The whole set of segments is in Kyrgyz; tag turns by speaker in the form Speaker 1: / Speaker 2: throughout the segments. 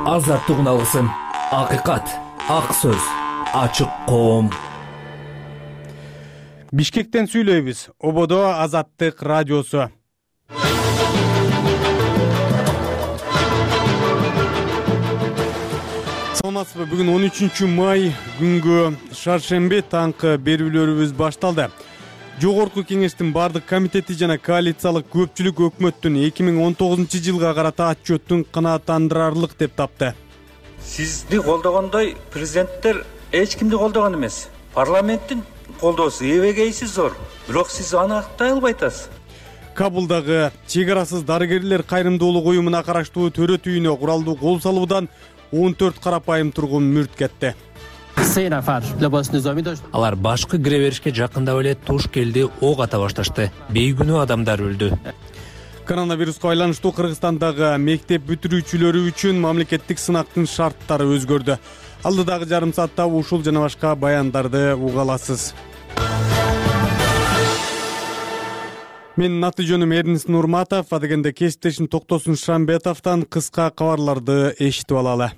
Speaker 1: Азаттык уналгысын, акыйкат, ак сөз, ачык коом.
Speaker 2: Бишкектен сүйлөйбүз. Ободо Азаттык радиосу. Саламатсызбы? Бүгүн 13 май күнгө шаршемби таңкы берүүлөрүбүз башталды. Жогорку кеңештин бардык комитети жана коалициялык көпчүлүк өкмөттүн 2019 жылга карата отчеттун канааттандырарлык деп тапты.
Speaker 3: Сизди колдогондой президенттер эч кимди колдогон эмес. Парламенттин колдоосу эбегейси зор, бирок сиз аны актай албай атасыз.
Speaker 2: Кабулдагы чек арасыз дарыгерлер кайрымдуулук уюмуна караштуу төрөт үйүнө куралдуу кол салуудан 14 карапайым тургун мүрт кетти.
Speaker 1: Алар башкы кире беришке жакындап эле туш келди, ок ата башташты. Бейгүнөө адамдар өлдү.
Speaker 2: Коронавируска байланыштуу Кыргызстандагы мектеп бүтүрүүчүлөрү үчүн мамлекеттик сынактын шарттары өзгөрдү. Алдыдагы жарым саатта ушул жана башка баяндарды уга аласыз. Менин аты жөнүм Эрнис Нурматов, адегенде кесиптешим Токтосун Шамбетовдон кыска кабарларды эшитип алалы.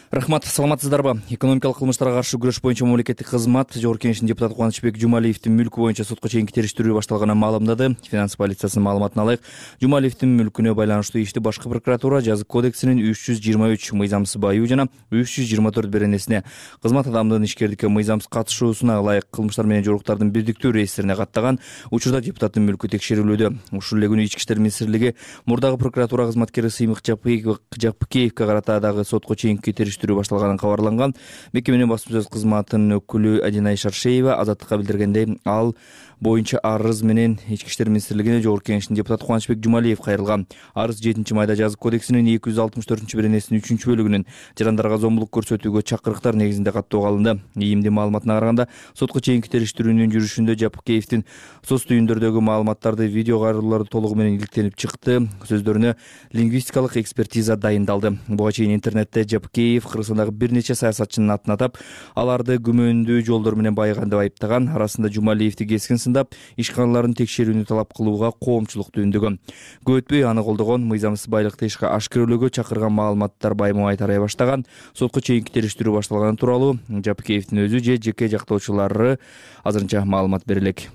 Speaker 4: Рахмат, саламатсыздарбы? Экономикалык кылмыштарга каршы күрөш боюнча мамлекеттик кызмат Жогорку кеңештин депутаты Кубанычбек Жумалиевдин мүлкү боюнча сотко чейинки териштирүү башталганын маалымдады. Финанс полициясынын маалыматына алайык, Жумалиевдин мүлкүнө байланыштуу ишти башкы прокуратура жазык кодексинин 323 мыйзамсыз баюу жана 324 беренесине кызмат адамдын ишкердикке мыйзамсыз катышуусуна ылайык кылмыштар менен жоруктардын бирдиктүү реестрине каттаган. Учурда депутаттын мүлкү текшерилүүдө. Ушул эле күнү Ички иштер министрлиги мурдагы прокуратура кызматкери Сыймык Жапыкеевге карата дагы сотко чейинки териштирүү башталганын кабарланган. Мекеменин басма сөз кызматынын өкүлү Адинай Шаршеева Азаттыкка билдиргендей, ал боюнча арыз менен Ички иштер министрлигине Жогорку кеңештин депутаты Кубанычбек Жумалиев кайрылган. Арыз 7-майда жазык кодексинин 264-беренесинин 3-бөлүгүнүн жарандарга зомбулук көрсөтүүгө чакырыктар негизинде каттоого алынды. ИИМдин маалыматына караганда, сотко чейинки териштирүүнүн жүрүшүндө Жапыкеевдин соц түйүндөрдөгү маалыматтарды, видео кайрылууларды толугу менен иликтенип чыкты. Сөздөрүнө лингвистикалык экспертиза дайындалды. Буга чейин интернетте Жапыкеев Кыргызстандагы бир нече саясатчынын атын атап, аларды күмөндүү жолдор менен байыган деп айыптаган. Арасында Жумалиевди кескин сындап, ишканаларын текшерүүнү талап кылууга коомчулук түйүндөгөн. Көп өтпөй аны колдогон, мыйзамсыз байлыкты ишке ашкерелөөгө чакырган маалыматтар байма-бай тарай баштаган. Сотко чейинки териштирүү башталганы тууралуу Жапыкеевдин өзү же жеке жактоочулары азырынча маалымат бере элек.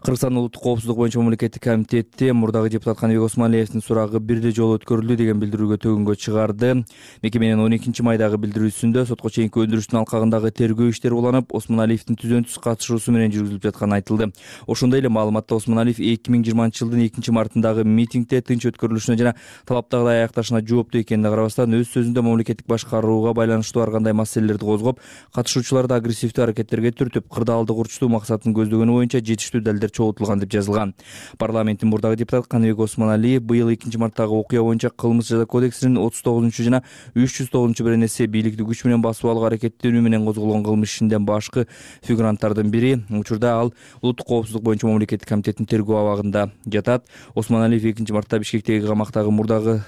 Speaker 4: Кыргызстандын улуттук коопсуздук боюнча мамлекеттик комитети мурдагы депутат Каныбек Осмоналиевдин сурагы бирдей жолу өткөрүлдү деген билдирүүгө төгүнгө чыгарды. Мекеменин 12-майдагы билдирүүсүндө сотко чейинки өндүрүштүн алкагындагы тергөө иштери уланып, Осмоналиевдин түзөнсүз катышуусу менен жүргүзүлүп жатканы айтылды. Ошондой эле маалыматта Осмоналиев 2020-жылдын 2-мартындагы митингде тынч өткөрүлүшүнө жана талаптагыдай аякташына жооптуу экенине карабастан, өз сөзүндө мамлекеттик башкарууга байланыштуу ар кандай маселелерди козгоп, катышуучуларды агрессивдүү аракеттерге түртүп, кырдаалды курчутуу максатын көздөгөнү боюнча жетиштүү далилдер чогултулган деп жазылган. Парламенттин мурдагы депутаты Каныбек Осмоналиев быйыл 2-марттагы окуя боюнча кылмыш жаза кодексинин 39 жана 309 беренеси бийликти күч менен басып алууга аракеттенүү менен козголгон кылмыш ишинде башкы фигуранттардын бири. Учурда ал улуттук коопсуздук боюнча мамлекеттик комитеттин тергөө абагында жатат. Осмоналиев 2-мартта Бишкектеги камактагы мурдагы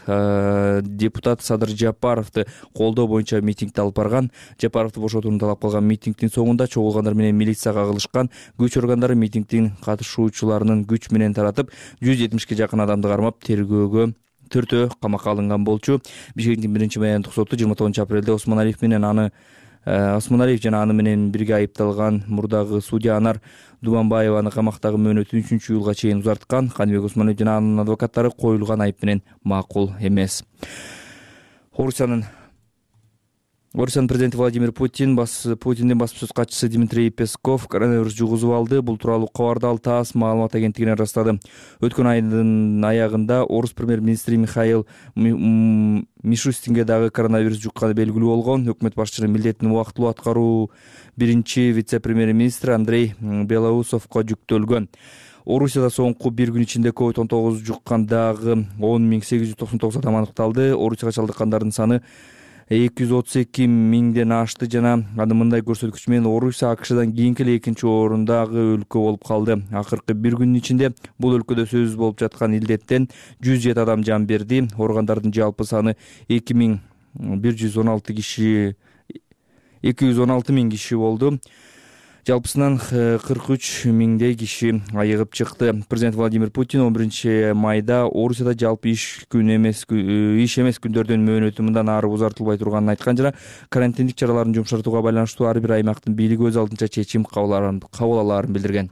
Speaker 4: депутат Садыр Жапаровду колдоо боюнча митингди алып барган. Жапаровду бошотууну талап кылган митингдин соңунда чогулгандар менен милицияга кагылышкан. Күч органдары митингдин катышуучуларынын күч менен таратып, 170ке жакын адамды кармап, тергөөгө төртөө камакка алынган болчу. Бишкектин 1-майдагы соту 29 апрелде Осмоналиев жана аны менен бирге айыпталган мурдагы судья Анар Дубанбаеваны камактагы мөөнөтүн 3-июлга чейин узарткан. Каныбек Осмоналиев жана анын адвокаттары коюлган айып менен макул эмес. Орусиянын президенти Владимир Путиндин басма сөз катчысы Дмитрий Песков коронавирус жугузуп алды. Бул тууралуу кабарды ал ТАСС маалымат агенттигине ырастады. Өткөн айдын аягында орус премьер-министри Михаил Мишустинге дагы коронавирус жукканы белгилүү болгон. Өкмөт башчынын милдетин убактылуу аткаруу биринчи вице-премьер-министри Андрей Белоусовго жүктөлгөн. Орусияда соңку бир күн ичинде COVID-19 жуккан дагы 10.899 адам аныкталды. Орусияга чалдыккандардын саны 232 миңден ашты жана аны мындай көрсөткүч менен Орусия АКШдан кийинки эле экинчи орундагы өлкө болуп калды. Акыркы бир күнүн ичинде бул өлкөдө сөзсүз болуп жаткан илдеттен 107 адам жан берди. Ооругандардын жалпы саны 216 миң киши болду. Жалпысынан 43 миңдей киши айыгып чыкты. Президент Владимир Путин 11 майда Орусияда жалпы иш эмес күндөрдүн мөөнөтү мындан ары узартылбай турганын айткан жана карантиндик чараларын жумшартууга байланыштуу ар бир аймактын бийлиги өз алдынча чечим кабыл алаарын билдирген.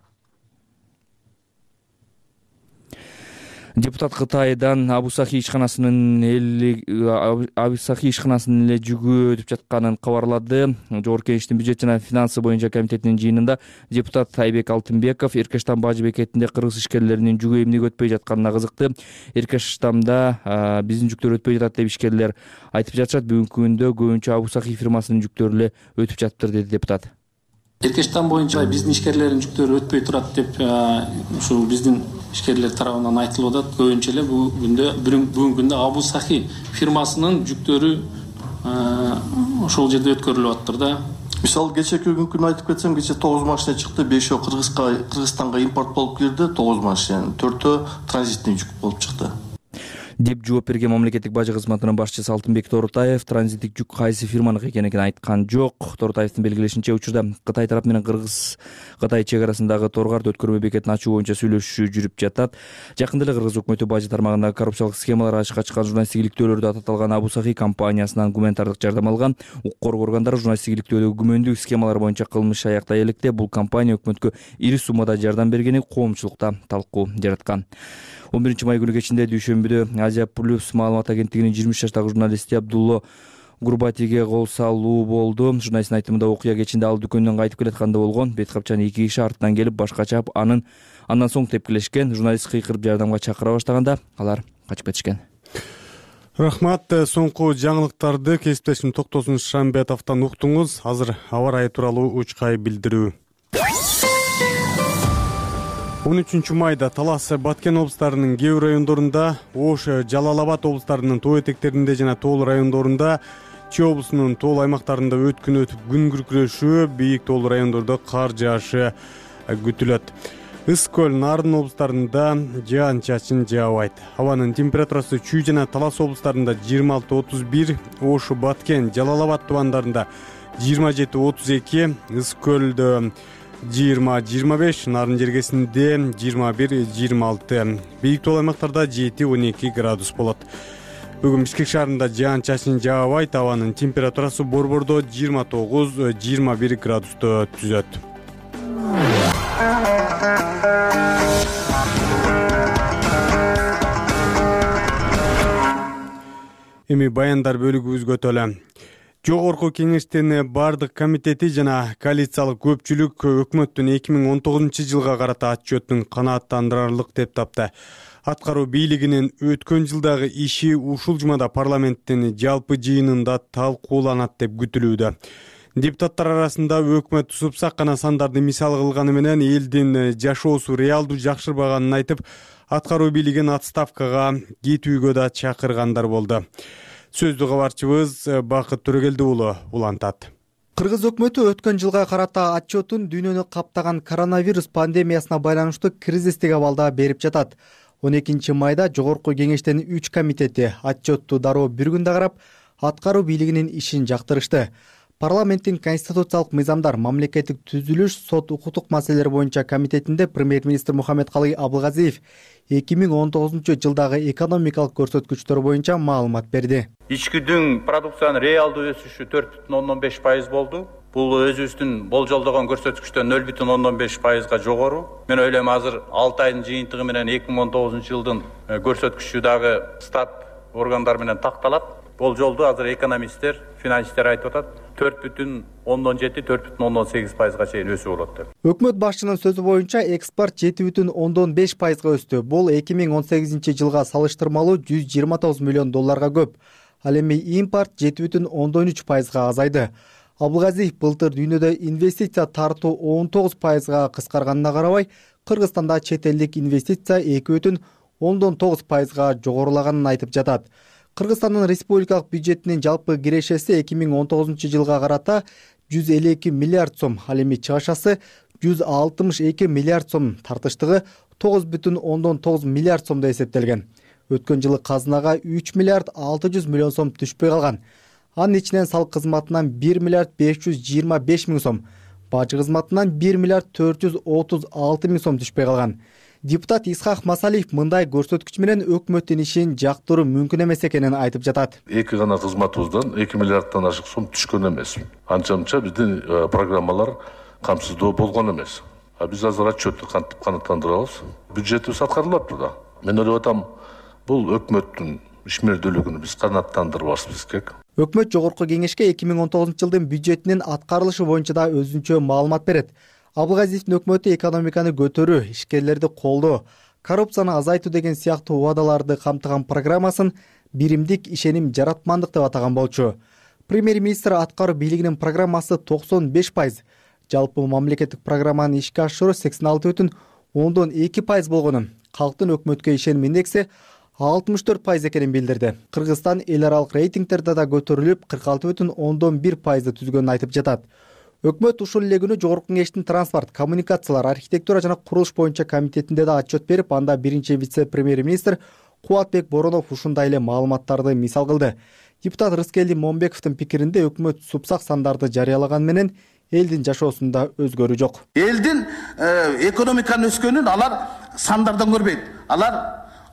Speaker 4: Депутат Кытайдан Абусахи ишканасынын эле жүгү өтүп жатканын кабарлады. Жогорку Кеңештин бюджет жана финансы боюнча комитетинин жыйынында депутат Айбек Алтынбеков Эркештам бажы бекетинде кыргыз ишкерлеринин жүгү эмнеге өтпөй жатканына кызыкты. Эркештамда биздин жүктөр өтпөй жатат деп ишкерлер айтып жатышат. Бүгүнкү күндө көбүнчө Абусахи фирмасынын жүктөрү эле өтүп жатыптыр, деди депутат.
Speaker 5: Эркештам боюнча биздин ишкерлердин жүктөрү өтпөй турат деп ушул биздин ишкерлер тарабынан айтылып атат. Көбүнчө эле бүгүнкү күндө Абусахи фирмасынын жүктөрү ошол жерде өткөрүлүп атыптыр да.
Speaker 6: Мисалы кечеки күнү айтып кетсем, кече 9 машина чыкты, 5 Кыргызстанга импорт болуп кирди, 9 машина, 4 транзитный жүк болуп чыкты
Speaker 4: деп жооп берген мамлекеттик бажы кызматынын башчысы Алтынбек Торутаев транзиттик жүк кайсы фирманыкы экенин айткан жок. Торутаевдин белгилешинче, учурда Кытай тарап менен Кыргыз-Кытай чек арасындагы Торгард өткөрмө бекетин ачуу боюнча сүйлөшүү жүрүп жатат. Жакында эле Кыргыз өкмөтү бажы тармагындагы коррупциялык схемалар ачыкка чыккан журналисттик иликтөөлөрдө аталган Абусахи компаниясынан гуманитардык жардам алган. Укук коргоо органдары журналисттик иликтөөлөгө күмөндүү схемалар боюнча кылмыш аяктай электе бул компания өкмөткө ири суммада жардам бергени коомчулукта талкуу жараткан. 11 май күнү кечинде дүйшөмбүдө Азия Плюс маалымат агенттигинин 23 жаштагы журналисти Абдулло Гурбатиге кол салуу болду. Журналисттин айтымында окуя кечинде ал дүкөндөн кайтып келатканда болгон. Бет капчан 2 киши артынан келип башка чаап андан соң тепкилешкен. Журналист кыйкырып жардамга чакыра баштаганда алар качып кетишкен.
Speaker 2: Рахмат. Соңку жаңылыктарды кесиптешим Токтосун Шамбетовдон уктуңуз. Азыр аба ырайы тууралуу учкай билдирүү. 13 майда Талас, Баткен облустарынын кээ бир райондорунда, Ош, Жалал Абад облустарынын тоо этектеринде жана тоол райондорунда, Чүй облусунун тоол аймактарында өткүн өтүп күн күркүрөшүү, бийик тоол райондордо кар жаашы күтүлөт. Ысык көл, Нарын облустарында жаан-чачын жаабайт. Абанын температурасы Чүй жана Талас облустарында 26-31, Ош, Баткен, Жалал Абад тубандарында 27-32, ысык көлдө 20-25, Нарын жергесинде 21-26, бийик тоол аймактарда 7-12 градус болот. Бүгүн Бишкек шаарында жаан-чачын жаабайт, абанын температурасы Борбордо 29-21 градусту түзөт. Эми баяндар бөлүгүбүзгө өтөлү. Жогорку Кеңештин бардык комитети жана коалициялык көпчүлүк өкмөттүн 2019 жылга карата отчетун канааттандырарлык деп тапты. Аткаруу бийлигинин өткөн жылдагы иши ушул жумада парламенттин жалпы жыйынында талкууланат деп күтүлүүдө. Депутаттар арасында өкмөт супсакана сандарды мисал кылганы менен элдин жашоосу реалдуу жакшырбаганын айтып, аткаруу бийлигин отставкага кетүүгө да чакыргандар болду. Сөздү кабарчыбыз Бакыт Төрөгелди уулу улантат.
Speaker 7: Кыргыз өкмөтү өткөн жылга карата отчетун дүйнөнү каптаган коронавирус пандемиясына байланыштуу кризистик абалда берип жатат. 12 майда Жогорку Кеңештин 3 комитети отчетту дароо бир күндө карап, аткаруу бийлигинин ишин жактырышты. Парламенттин конституциялык мыйзамдар, мамлекеттик түзүлүш, сот укуктук маселелер боюнча комитетинде премьер-министр Мухаммедкалый Абылгазиев 2019 жылдагы экономикалык көрсөткүчтөр боюнча маалымат берди.
Speaker 3: Ичкидин продукциянын реалдуу өсүшү 4,15% болду. Бул өзүбүздүн болжолдогон көрсөткүчтөн 0,15%га жогору. Мен ойлойм, азыр 6 айдын жыйынтыгы менен 2019 жылдын көрсөткүчү дагы стат органдар менен такталат. Болжолду азыр экономисттер, финансисттер айтып атат, 4,17-4,18%га чейин өсүү болот деп.
Speaker 7: Өкмөт башчынын сөзү боюнча экспорт 7,5%га өстү. Бул 2018 жылга салыштырмалуу 129 миллион долларга көп. Ал эми импорт 7,13%га азайды. Абылгазиев былтыр дүйнөдө инвестиция тартуу 19%га кыскарганына карабай, Кыргызстанда чет элдик инвестиция 2,9%га жогорулаганын айтып жатат. Кыргызстандын республикалык бюджетинин жалпы кирешеси 2019 жылга карата 152 миллиард сом, ал эми чыгашасы 162 миллиард сом, тартыштыгы 9,9 миллиард сомдо эсептелген. Өткөн жылы казынага 3 миллиард 600 миллион сом түшпөй калган. Анын ичинен салык кызматынан 1 миллиард 525 миң сом, бажы кызматынан 1 миллиард 436 миң сом түшпөй калган. Депутат Исхак Масалиев мындай көрсөткүч менен өкмөттүн ишин жактыруу мүмкүн эмес экенин айтып жатат.
Speaker 8: Эки гана кызматыбыздан 2 миллиарддан ашык сом түшкөн эмес. Анча-мынча биздин программалар камсыздоо болгон эмес. Биз азыр отчетту кантип канааттандырабыз. Бюджетибиз аткарылып турда. Мен ойлоп атам, бул өкмөттүн ишмердүүлүгүн биз канааттандырбашыбыз керек.
Speaker 7: Өкмөт жогорку кеңешке 2019-жылдын бюджетинин аткарылышы боюнча да өзүнчө маалымат берет. Абылгазиевдин өкмөтү экономиканы көтөрүү, ишкерлерди колдоо, коррупцияны азайтуу деген сыяктуу убадаларды камтыган программасын биримдик ишеним жаратмандык деп атаган болчу. Премьер-министр аткаруу бийлигинин программасы 95%, жалпы мамлекеттик программаны ишке ашыруу 86,2% болгонун, калктын өкмөткө ишеним индекси 64% экенин билдирди. Кыргызстан эл аралык рейтингтерде да көтөрүлүп 46,1% түзгөнүн айтып жатат. Өкмөт ушул эле күнү жогорку кеңештин транспорт, коммуникациялар, архитектура жана курулуш боюнча комитетинде да отчет берип, анда биринчи вице-премьер-министр Кубатбек Боронов ушундай эле маалыматтарды мисал кылды. Депутат Рыскелди Момбековдун пикиринде өкмөт супсак сандарды жарыялаган менен элдин жашоосунда өзгөрүү жок.
Speaker 9: Элдин экономиканын өскөнүн алар сандардан көрбөйт. Алар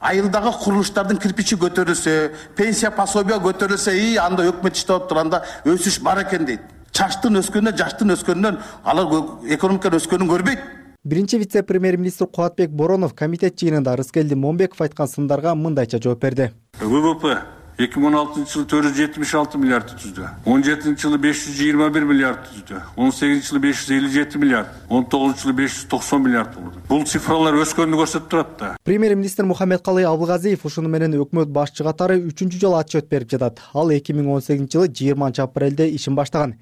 Speaker 9: айылдагы курулуштардын кирпичи көтөрүлсө, пенсия пособия көтөрүлсө, анда өкмөт иштеп турганда өсүш бар экен дейт. Чачтын өскөнүнөн, жаштын өскөнүнөн алар экономиканын өскөнүн көрбөйт.
Speaker 7: Биринчи вице-премьер-министр Кубатбек Боронов комитет жыйынында Рыскелди Момбеков айткан сындарга мындайча жооп берди.
Speaker 10: ВВП 2016-жылы 476 миллиард түздү. 17-жылы 521 миллиард түздү. 18-жылы 557 миллиард, 19-жылы 590 миллиард болду. Бул цифралар өскөнүн көрсөтүп турат да.
Speaker 7: Премьер-министр Мухаммедкалый Абылгазиев ушуну менен өкмөт башчы катары 3-жолу жолу отчет берип жатат. Ал 2018-жылы 20-апрелде ишин баштаган.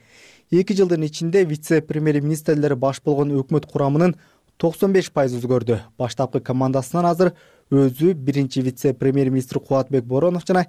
Speaker 7: 2 жылдын ичинде вице-премьер-министрлери баш болгон өкмөт курамынын 95% өзгөрдү. Баштапкы командасынан азыр өзү биринчи вице-премьер-министр Кубатбек Боронов жана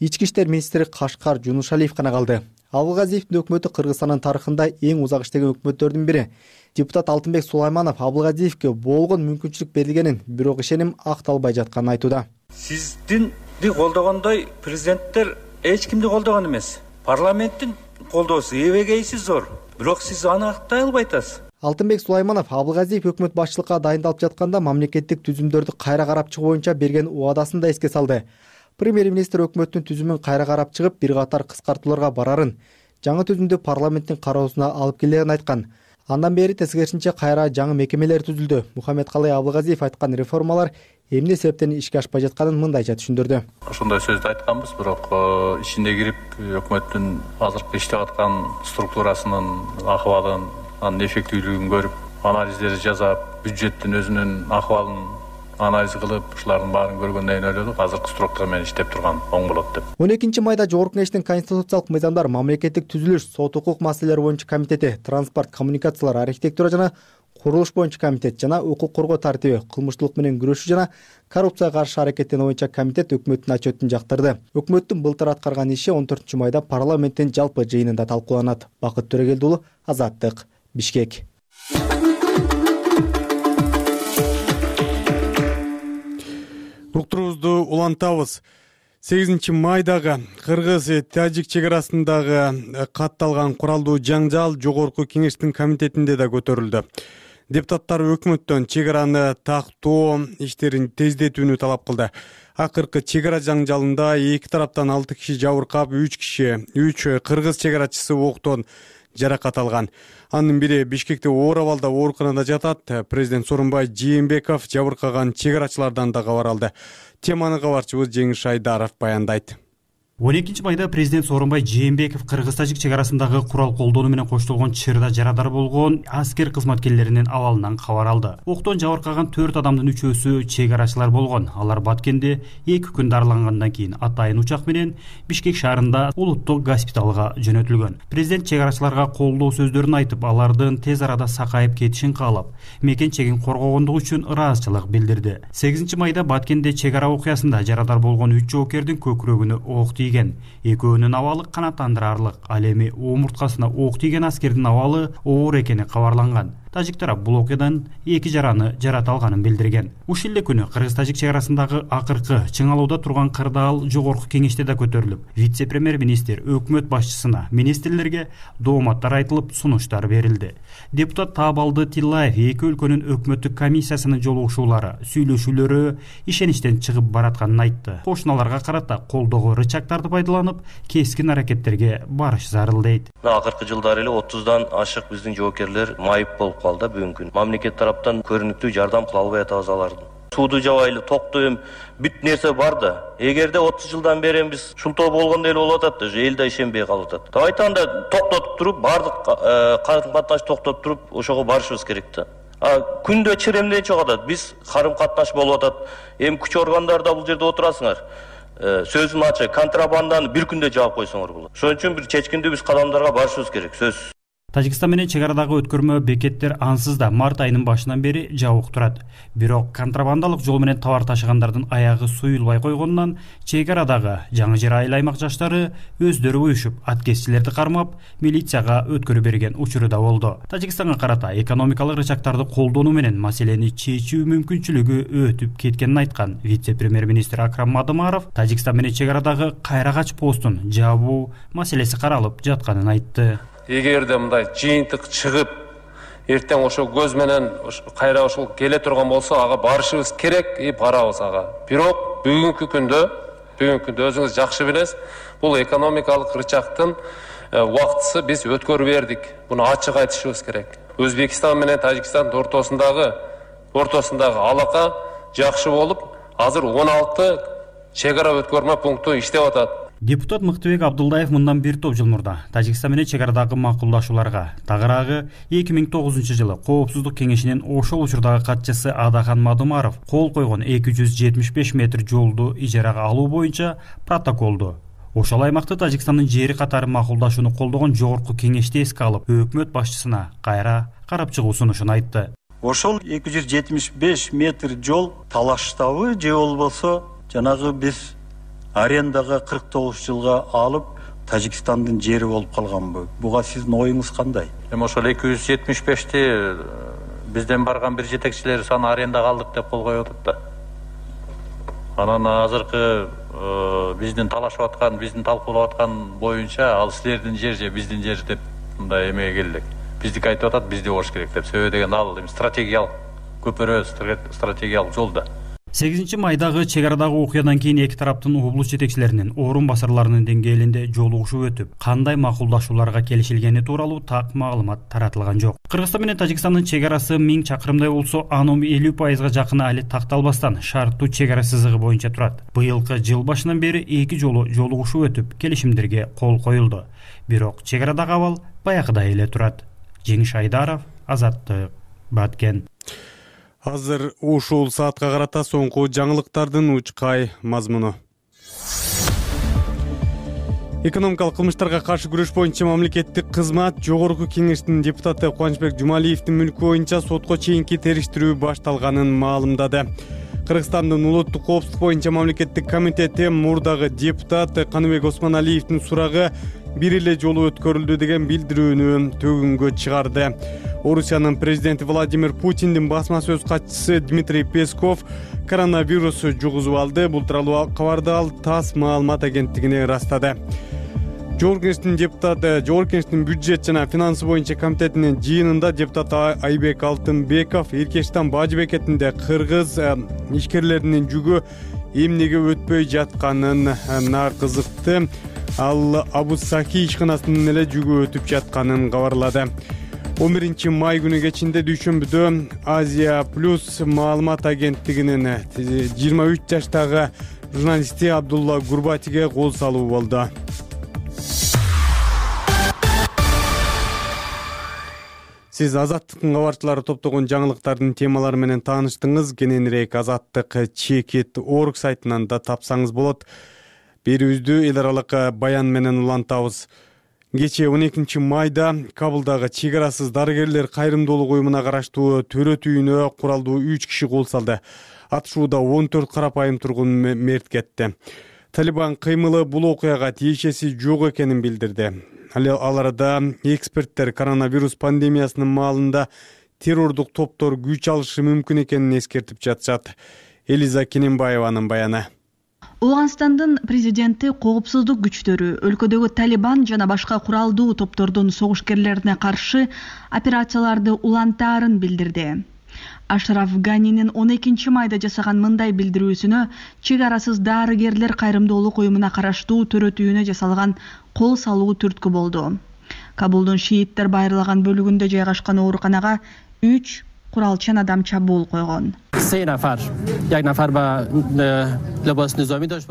Speaker 7: ички иштер министри Кашкар Жунушалиев гана калды. Абылгазиевдин өкмөтү Кыргызстандын тарыхында эң узак иштеген өкмөттөрдүн бири. Депутат Алтынбек Сулайманов Абылгазиевке болгон мүмкүнчүлүк берилгенин, бирок ишеним акталбай жатканын айтууда.
Speaker 11: Сиздинди колдогондой президенттер эч кимди колдогон эмес. Парламенттин колдоосу эбегейси зор, бирок сиз аны актай албай атасыз.
Speaker 7: Алтынбек Сулайманов Абылгазиев өкмөт башчылыкка дайындалып жатканда мамлекеттик түзүмдөрдү кайра карап чыгуу боюнча берген убадасын да эске салды. Премьер-министр өкмөттүн түзүмүн кайра карап чыгып, бир катар кыскартууларга барарын, жаңы түзүмдү парламенттин кароосуна алып келерин айткан. Андан бери тескерисинче кайра жаңы мекемелер түзүлдү. Мухаммедкалый Абылгазиев айткан реформалар эмне себептен ишке ашпай жатканын мындайча түшүндүрдү.
Speaker 3: Ошондой сөздү айтканбыз, бирок ичине кирип өкмөттүн азыркы иштеп аткан структурасынын акыбалын, анын эффективдүүлүгүн көрүп, анализдерди жасап, бюджеттин өзүнүн акыбалын анализ кылып, ушулардын баарын көргөндөн кийин ойлодук, азыркы структура менен иштеп турган оң болот деп.
Speaker 7: 12 майда Жогорку кеңештин конституциялык мыйзамдар, мамлекеттик түзүлүш, сот укук маселелери боюнча комитети, транспорт, коммуникациялар, архитектура жана курулуш боюнча комитет жана укук коргоо тартиби, кылмыштуулук менен күрөшүү жана коррупцияга каршы аракеттенүү боюнча комитет өкмөттүн отчетун жактырды. Өкмөттүн былтыр аткарган иши 14 майда парламенттин жалпы жыйынында талкууланат. Бакыт Төрөгелди уулу, Азаттык, Бишкек.
Speaker 2: Уктуруубузду улантабыз. 8 майдагы Кыргыз-Тажик чек арасындагы катталган куралдуу жаңжал Жогорку кеңештин комитетинде да көтөрүлдү. Депутаттар өкмөттөн чек араны тактоо иштерин тездетүүнү талап кылды. Акыркы чек ара жаңжалында эки тараптан 6 киши жабыркап, 3 кыргыз чек арачысы октон жаракат алган. Анын бири Бишкекте оор абалда ооруканада жатат. Президент Сооронбай Жээнбеков жабыркаган чек арачылардан да кабар алды. Теманы кабарчыбыз Жеңиш Айдаров баяндайт.
Speaker 12: 12 майда президент Сооронбай Жээнбеков Кыргыз-Тажик чек арасындагы курал колдонуу менен коштолгон чырда жарадар болгон аскер кызматкерлеринин абалынан кабар алды. Октон жабыркаган 4 адамдын 3-өсү чек арачылар болгон. Алар Баткенде 2 күн дарылангандан кийин атайын учак менен Бишкек шаарында улуттук госпиталга жөнөтүлгөн. Президент чек арачыларга колдоо сөздөрүн айтып, алардын тез арада сакайып кетишин каалап, мекен чегин коргогондугу үчүн ыраазычылык билдирди. 8 майда Баткенде чек ара окуясында жарадар болгон 3 жоокердин көкүрөгүнө ок экөөнүн абалы канааттандырарлык. Ал эми омурткасына ок тийген аскердин абалы оор экени кабарланган. тажик тарап бул окуядан 2 жараны жарата алганын билдирген. Ушул эле күнү кыргыз-тажик чек арасындагы акыркы чыңалууда турган кырдаал жогорку кеңеште да көтөрүлүп, вице-премьер-министр өкмөт башчысына, министрлерге дооматтар айтылып, сунуштар берилди. Депутат Таабалды Тиллаев эки өлкөнүн өкмөттүк комиссиясынын жолугушуулары, сүйлөшүүлөрү ишеничтен чыгып баратканын айтты. Кошуналарга карата колдогу рычагдарды пайдаланып, кескин аракеттерге барыш зарыл дейт.
Speaker 13: Акыркы жылдары эле 30дан ашык биздин жоокерлер майып болуп калды бүгүнкү күн. Мамлекет тараптан көрүнүктүү жардам кыла албай атабыз аларды. Сууду жабайлы, токту бүт нерсе бар да. Эгерде 30 жылдан бери биз шултоо болгондой эле болуп атат, эл да ишенбей калып атат. Айтанда токтотуп туруп, бардык карым катнаш токтотуп туруп, ошого барышыбыз керек да. Күндө чиремден чыгып атат. Биз карым катнаш болуп атат. Эми күч органдарда бул жерде отурасыңар. Сөзүм ачык, контрабанданы бир күндө жаап койсоңор болот. Ошон үчүн бир чечкиндүү биз кадамдарга барышыбыз керек, сөзсүз.
Speaker 12: Тажикстан менен чек арадагы өткөрмө бекеттер ансыз да март айынын башынан бери жабык турат. Бирок контрабандалык жол менен товар ташыгандардын аягы суюлбай койгондон чек арадагы Жаңы Жер айыл аймак жаштары өздөрү уюшуп, аткезчилерди кармап, милицияга өткөрүп берген учуру да болду. Тажикстанга карата экономикалык рычагдарды колдонуу менен маселени чечүү мүмкүнчүлүгү өтүп кеткенин айткан вице-премьер-министр Акрам Мадымаров Тажикстан менен чек арадагы Кайрагач постун жабуу маселеси каралып жатканын айтты.
Speaker 14: Эгерде мындай жыйынтык чыгып, эртең ошо көз менен кайра ошол келе турган болсо, ага барышыбыз керек, барабыз ага. Бирок бүгүнкү күндө өзүңүз жакшы билесиз, бул экономикалык рычагдын убактысы биз өткөрүп бердик. Буну ачык айтышыбыз керек. Өзбекстан менен Тажикстан ортосундагы алака жакшы болуп, азыр 16 чек ара өткөрмө пункту иштеп атат.
Speaker 12: Депутат Мыктыбек Абдулдаев мындан бир топ жыл мурда Тажикстан менен чек арадагы макулдашууларга, тагыраагы 2009 жылы Коопсуздук кеңешинин ошол учурдагы катчысы Адахан Мадымаров кол койгон 275 метр жолду ижарага алуу боюнча протоколду ошол аймакты Тажикстандын жери катары макулдашууну колдогон жогорку кеңеште эске алып, өкмөт башчысына кайра карап чыгуу сунушун айтты.
Speaker 15: Ошол 275 метр жол талаштабы же болбосо жанагы биз арендага 49 жылга алып Тажикстандын жери болуп калганбы? Буга сиздин оюңуз кандай?
Speaker 3: Эми ошол 275ти бизден барган бир жетекчилер саны арендага алдык деп кол коюп атат да. Анан азыркы биздин талашып аткан, биздин талкуулап аткан боюнча ал силердин жер же биздин жер деп мындай эмеге келдик. Биздики айтып атат, бизде болуш керек деп. Себеби деген ал стратегиялык көпүрө, стратегиялык жол да.
Speaker 12: 8 майдагы чек арадагы окуядан кийин эки тараптын облус жетекчилеринин, орун басарларынын деңгээлинде жолугушуу өтүп, кандай макулдашууларга келишилгени тууралуу так маалымат таратылган жок. Кыргызстан менен Тажикстандын чек арасы 1000 чакырымдай болсо, анын 50% жакыны али такталбастан шарттуу чек ара сызыгы боюнча турат. Быйылкы жыл башынан бери эки жолу жолугушуу өтүп, келишимдерге кол коюлду. Бирок чек арадагы абал баягыдай эле турат. Жеңиш Айдаров, Азаттык, Баткен.
Speaker 2: Азыр ушул саатка карата соңку жаңылыктардын учкай мазмуну. Экономикалык кылмыштарга каршы күрөш боюнча мамлекеттик кызмат жогорку кеңештин депутаты Кубанычбек Жумалиевдин мүлкү боюнча сотко чейинки териштирүү башталганын маалымдады. Кыргызстандын улуттук коопсуздук боюнча мамлекеттик комитети мурдагы депутат Каныбек Осмоналиевдин сурагы бир эле жолу өткөрүлдү деген билдирүүнү төгүнгө чыгарды. Орусиянын президенти Владимир Путиндин басма сөз катчысы Дмитрий Песков коронавирус жугузуп алды. Бул тууралуу кабарды ал ТАСС маалымат агенттигине ырастады. Жогорку кеңештин бюджет жана финансы боюнча комитетинин жыйынында депутат Айбек Алтынбеков Эркештан бажы бекетинде кыргыз ишкерлеринин жүгү эмнеге өтпөй жатканын кызыкты. Ал Абу-Сахи ишканасынын эле жүгү өтүп жатканын кабарлады. 11 май күнү кечинде дүйшөмбүдө Азия Плюс маалымат агенттигинин 23 жаштагы журналисти Абдулла Гурбатиге кол салуу болду. Сиз Азаттыктын кабарчылары топтогон жаңылыктардын темалары менен тааныштыңыз. Кененирээк Азаттык.org сайтынан да тапсаңыз болот. Берүүбүздү эл аралык баян менен улантабыз. Кечээ 12 майда Кабылдагы чек арасыз дарыгерлер кайрымдуулук уюмуна караштуу төрөт үйүнө куралдуу 3 киши кол салды. Атышууда 14 карапайым тургун мерт кетти. Талибан кыймылы бул окуяга тиешеси жок экенин билдирди. Ал арада эксперттер коронавирус пандемиясынын маалында террордук топтор күч алышы мүмкүн экенин эскертип жатышат. Элиза Кененбаеванын баяны.
Speaker 16: Ооганстандын президенти коопсуздук күчтөрү өлкөдөгү Талибан жана башка куралдуу топтордун согушкерлерине каршы операцияларды улантаарын билдирди. Ашраф Ганинин 12 майда жасаган мындай билдирүүсүнө чек арасыз дарыгерлер кайрымдуулук уюмуна караштуу төрөтүүнө жасалган кол салуу түрткү болду. Кабулдун шииттер байырлаган бөлүгүндө жайгашкан ооруканага 3 куралчан адам чабуул койгон.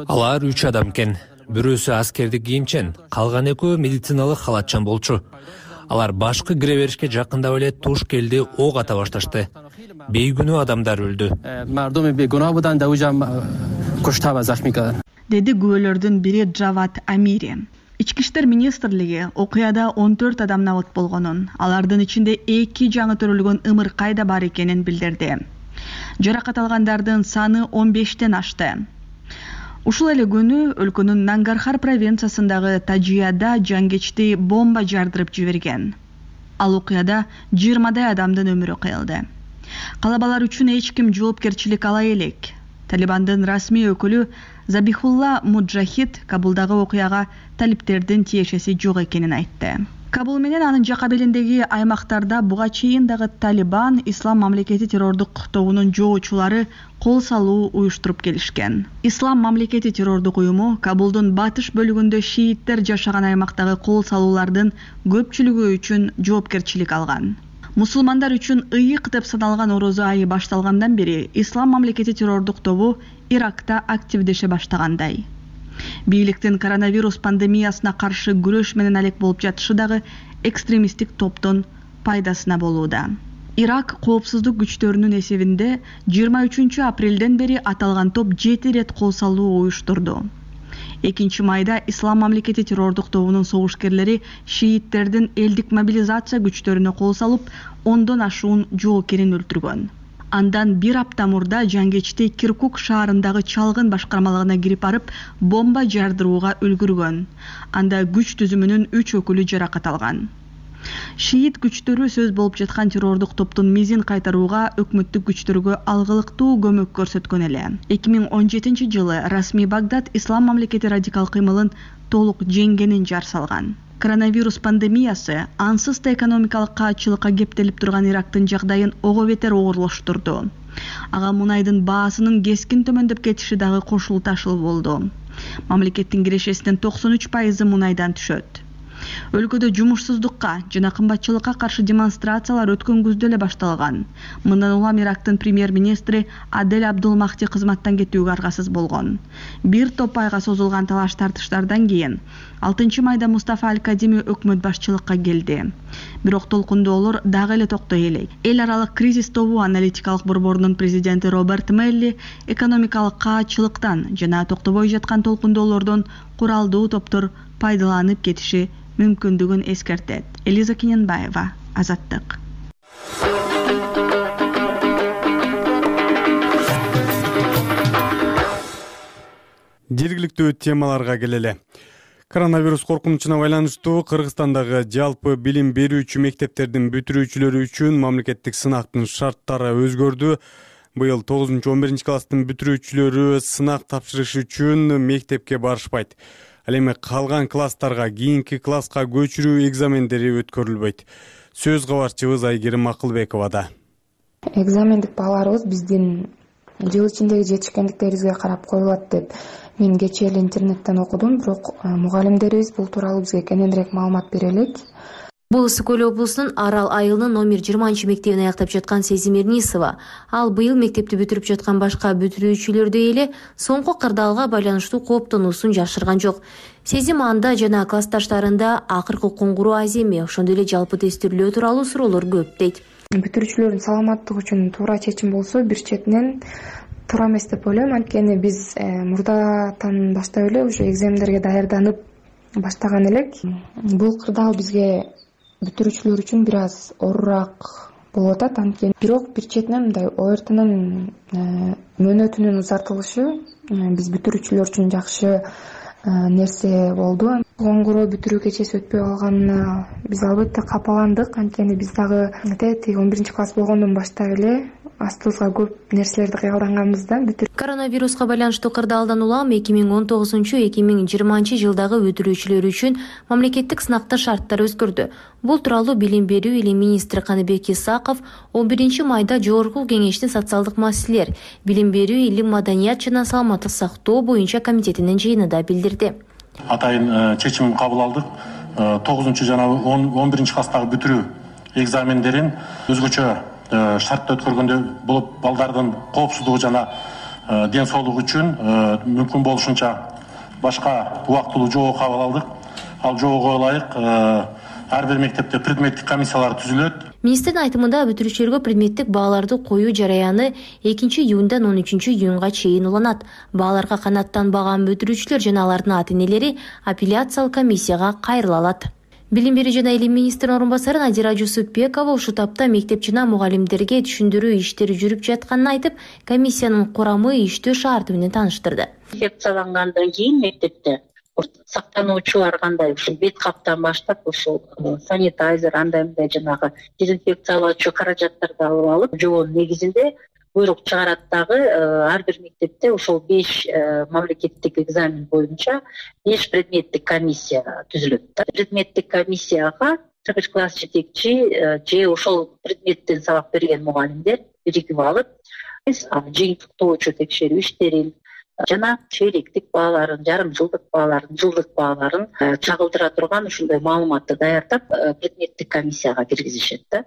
Speaker 1: Алар 3 адам экен. Бирөөсү аскердик кийимчен, калган экөө медициналык халатчан болчу. Алар башкы кире беришке жакындап эле туш келди, ок ата башташты. Бейгүнөө адамдар өлдү.
Speaker 16: Деди күбөлөрдүн бири Джават Амири. Ички иштер министрлиги окуяда 14 адам набыт болгонун, алардын ичинде 2 жаңы төрөлгөн ымыркай да бар экенин билдирди. Жаракат алгандардын саны 15тен ашты. Ушул эле күнү өлкөнүн Нангархар провинциясындагы Тажияда жангечти бомба жардырып жиберген. Ал окуяда 20дай адамдын өмүрү кыйылды. Калабалар үчүн эч ким жоопкерчилик ала элек. Талибандын расмий өкүлү Забихулла Муджахид Кабулдагы окуяга талиптердин тиешеси жок экенин айтты. Кабул менен анын жака белиндеги аймактарда буга чейин дагы Талибан Ислам мамлекети террордук тобунун жоочулары кол салуу уюштуруп келишкен. Ислам мамлекети террордук уюму Кабулдун батыш бөлүгүндө шииттер жашаган аймактагы кол салуулардын көпчүлүгү үчүн жоопкерчилик алган. Мусулмандар үчүн ыйык деп саналган орозо айы башталгандан бери Ислам мамлекети террордук тобу Иракта активдеше баштагандай. Бийликтин коронавирус пандемиясына каршы күрөш менен алек болуп жатышы дагы экстремисттик топтун пайдасына болууда. Ирак коопсуздук күчтөрүнүн эсебинде 23 апрелден бери аталган топ 7 рет кол салуу уюштурду. 2 майда Ислам мамлекети террордук тобунун согушкерлери шииттердин элдик мобилизация күчтөрүнө кол салып, 10дон ашуун жоокерин өлтүргөн. Андан 1 апта мурда жангечти Киркук шаарындагы чалгын башкармалыгына кирип барып, бомба жардырууга үлгүргөн. Анда күч түзүмүнүн 3 өкүлү жаракат алган. Шиит күчтөрү сөз болуп жаткан террордук топтун мизин кайтарууга өкмөттүк күчтөргө алгылыктуу көмөк көрсөткөн эле. 2017 жылы расмий Багдад Ислам мамлекети радикал кыймылын толук жеңгенин жар салган. Коронавирус пандемиясы ансыз да экономикалык каатчылыкка кептелип турган Ирактын жагдайын ого бетер оорлоштурду. Ага мунайдын баасынын кескин төмөндөп кетиши дагы кошулуу ташыл болду. Мамлекеттин кирешесинин 93% мунайдан түшөт. Өлкөдө жумушсуздукка жана кымбатчылыкка каршы демонстрациялар өткөн күздө эле башталган. Мындан улам Ирактын премьер-министри Адель Абдулмахти кызматтан кетүүгө аргасыз болгон. Бир топ айга созулган талаш тартыштардан кийин 6 майда Мустафа Аль-Кадими өкмөт башчылыкка келди. Бирок толкундоолор дагы эле токтой элек. Эл аралык кризис тобу аналитикалык борборунун президенти Роберт Мелли экономикалык каатчылыктан жана токтобой жаткан толкундоолордон куралдуу топтор пайдаланып кетиши мүмкүндүгүн эскертет. Элиза Кененбаева, Азаттык.
Speaker 2: Жергиликтүү темаларга келели. Коронавирус коркунучуна байланыштуу Кыргызстандагы жалпы билим берүүчү мектептердин бүтүрүүчүлөрү үчүн мамлекеттик сынактын шарттары өзгөрдү. Быйыл 9-11 класстын бүтүрүүчүлөрү сынак тапшырыш үчүн мектепке барышпайт. Ал эми калган класстарга кийинки класска көчүрүү экзамендери өткөрүлбөйт. Сөз кабарчыбыз Айгерим Акылбековада.
Speaker 17: Экзамендик бааларыбыз биздин жыл ичиндеги жетишкендиктерибизге карап коюлат деп мен кечээ эле интернеттен окудум, бирок мугалимдерибиз бул тууралуу бизге кененирээк маалымат бере элек.
Speaker 18: Бул Ысык Көл облусунун Арал айылынын номер 20 мектебин аяктап жаткан Сезим Эрнисова. Ал быйыл мектепти бүтүрүп жаткан башка бүтүрүүчүлөрдөй эле соңку кырдаалга байланыштуу кооптонуусун жашырган жок. Сезим анда жана классташтарында акыркы коңгуроо аз эми, ошондой эле жалпы тестирлөө тууралуу суроолор көп дейт.
Speaker 17: Бүтүрүүчүлөрдүн саламаттыгы үчүн туура чечим болсо, бир четинен туура эмес деп ойлойм. Анткени биз мурдатан баштап эле ушу экзамендерге даярданып баштаган элек. Бул кырдаал бизге бүтүрүүчүлөр үчүн бир аз оорураак болуп атат. Анткени бирок бир четинен мындай ОРТнын мөөнөтүнүн узартылышы биз бүтүрүүчүлөр үчүн жакшы нерсе болду. коңгуроо бүтүрүү кечеси өтпөй калганына биз албетте капаландык. Анткени биз дагы тиги 11-класс болгондон баштап эле астыбызга көп нерселерди кыялданганбыз да.
Speaker 18: Коронавируска байланыштуу кырдаалдан улам 2019-2020 жылдагы бүтүрүүчүлөр үчүн мамлекеттик сынактын шарттары өзгөрдү. Бул тууралуу Билим берүү илим министри Каныбек Исаков 11 майда Жогорку Кеңештин социалдык маселелер, билим берүү, илим, маданият жана саламаттык сактоо боюнча комитетинин жыйынында билдирди.
Speaker 19: Атайын чечим кабыл алдык. 9 жана 11 класстагы бүтүрүү экзамендерин өзгөчө шартта өткөргөндөй болуп, балдардын коопсуздугу жана ден соолугу үчүн мүмкүн болушунча башка убактылуу жобо кабыл алдык. Ал жобого ылайык ар бир мектепте предметтик комиссиялар түзүлөт.
Speaker 18: Министрдин айтымында бүтүрүүчүлөргө предметтик бааларды коюу жараяны 2-июндан 13-июнга чейин уланат. Бааларга канааттанбаган бүтүрүүчүлөр жана алардын ата-энелери апелляциялык комиссияга кайрыла алат. Билим берүү жана илим министринин орун басары Надира Жусупбекова ушул тапта мектеп жана мугалимдерге түшүндүрүү иштери жүрүп жатканын айтып, комиссиянын курамы, иштөө шарты менен тааныштырды.
Speaker 20: Инфекциялангандан кийин мектепте сактануучулар кандай ушул бет каптан баштап ушул санитайзер андай мындай жанагы дезинфекциялоочу каражаттарды алып алып, жобонун негизинде буйрук чыгарат дагы ар бир мектепте ошол 5 мамлекеттик экзамен боюнча 5 предметтик комиссия түзүлөт. Предметтик комиссияга 1 класс жетекчи же ошол предметтен сабак берген мугалимдер биригип алып, жыйынтыктоочу текшерүү иштерин жана чейлектик бааларын, жарым жылдык бааларын, жылдык бааларын чагылдыра турган ушундай маалыматты даярдап предметтик комиссияга киргизишет да.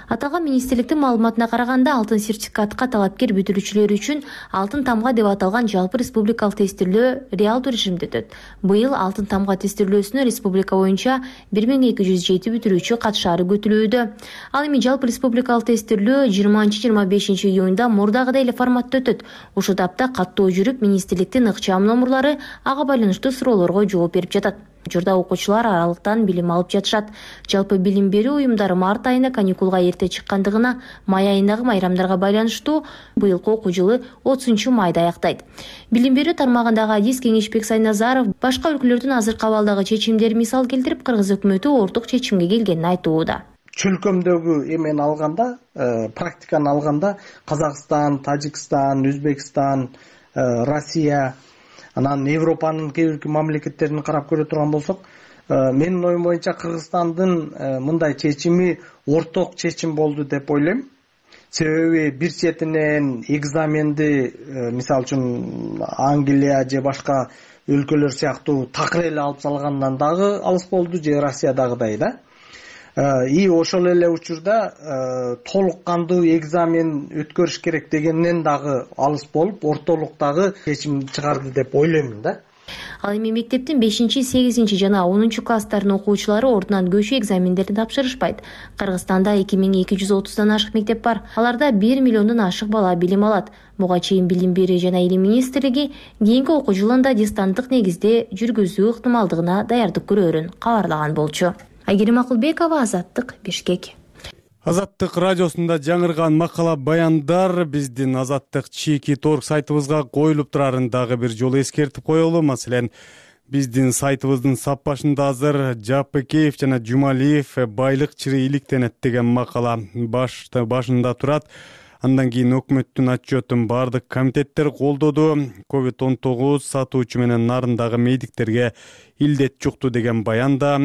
Speaker 18: Аталган министрликтин маалыматына караганда, алтын сертификатка талапкер бүтүрүүчүлөр үчүн алтын тамга деп аталган жалпы республикалык тестирөө реалдуу режимде өтөт. Быйыл алтын тамга тестирөөсүнө республика боюнча 1207 бүтүрүүчү катышаары күтүлүүдө. Ал эми жалпы республикалык тестирөө 20-25 июнда мурдагыдай эле форматта өтөт. Ушул тапта каттоо жүрүп, министрликтин ыкчам номурлары ага байланыштуу суроолорго жооп берип жатат. Учурда окуучулар аралыктан билим алып жатышат. Жалпы билим берүү уюмдары март айына каникулга эрте чыккандыгына, май айындагы майрамдарга байланыштуу быйылкы окуу жылы 30 майда аяктайт. Билим берүү тармагындагы адис Кеңешбек Сайназаров башка өлкөлөрдүн азыркы абалдагы чечимдерин мисал келтирип, Кыргыз өкмөтү орток чечимге келгенин айтууда.
Speaker 21: Чөлкөмдөгү эмени алганда, практиканы алганда Казакстан, Тажикстан, Өзбекстан, Россия, анан Европанын кээ бир мамлекеттерин карап көрө турган болсок, менин оюм боюнча Кыргызстандын мындай чечими орток чечим болду деп ойлойм. Себеби бир четинен экзаменди, мисалы үчүн Англия же башка өлкөлөр сыяктуу такыр эле алып салгандан дагы алыс болду, же Россиядагыдай да. И ошол эле учурда толук кандуу экзамен өткөрүш керек дегенден дагы алыс болуп, ортолуктагы чечим чыгарды деп ойлоймун да.
Speaker 18: Ал эми мектептин 5-8 жана 10 класстарынын окуучулары ордунан көчүү экзамендерин тапшырышпайт. Кыргызстанда 2230дан ашык мектеп бар. Аларда 1 миллиондон ашык бала билим алат. Буга чейин Билим берүү жана илим министрлиги кийинки окуу жылында дистанттык негизде жүргүзүү ыктымалдыгына даярдык көрөөрүн кабарлаган болчу. Айгерим Акылбекова, Азаттык, Бишкек.
Speaker 2: Азаттык радиосунда жаңырган макала баяндар биздин Азаттык @торг сайтыбызга коюлуп турарын дагы бир жолу эскертип коелу. Маселен, биздин сайтыбыздын сап башында азыр Жапыкеев жана Жумалиев байлык чыры иликтенет деген макала башында турат. Андан кийин өкмөттүн отчетун бардык комитеттер колдоду. COVID-19 сатуучу менен нарындагы медиктерге илдет жукту деген баян да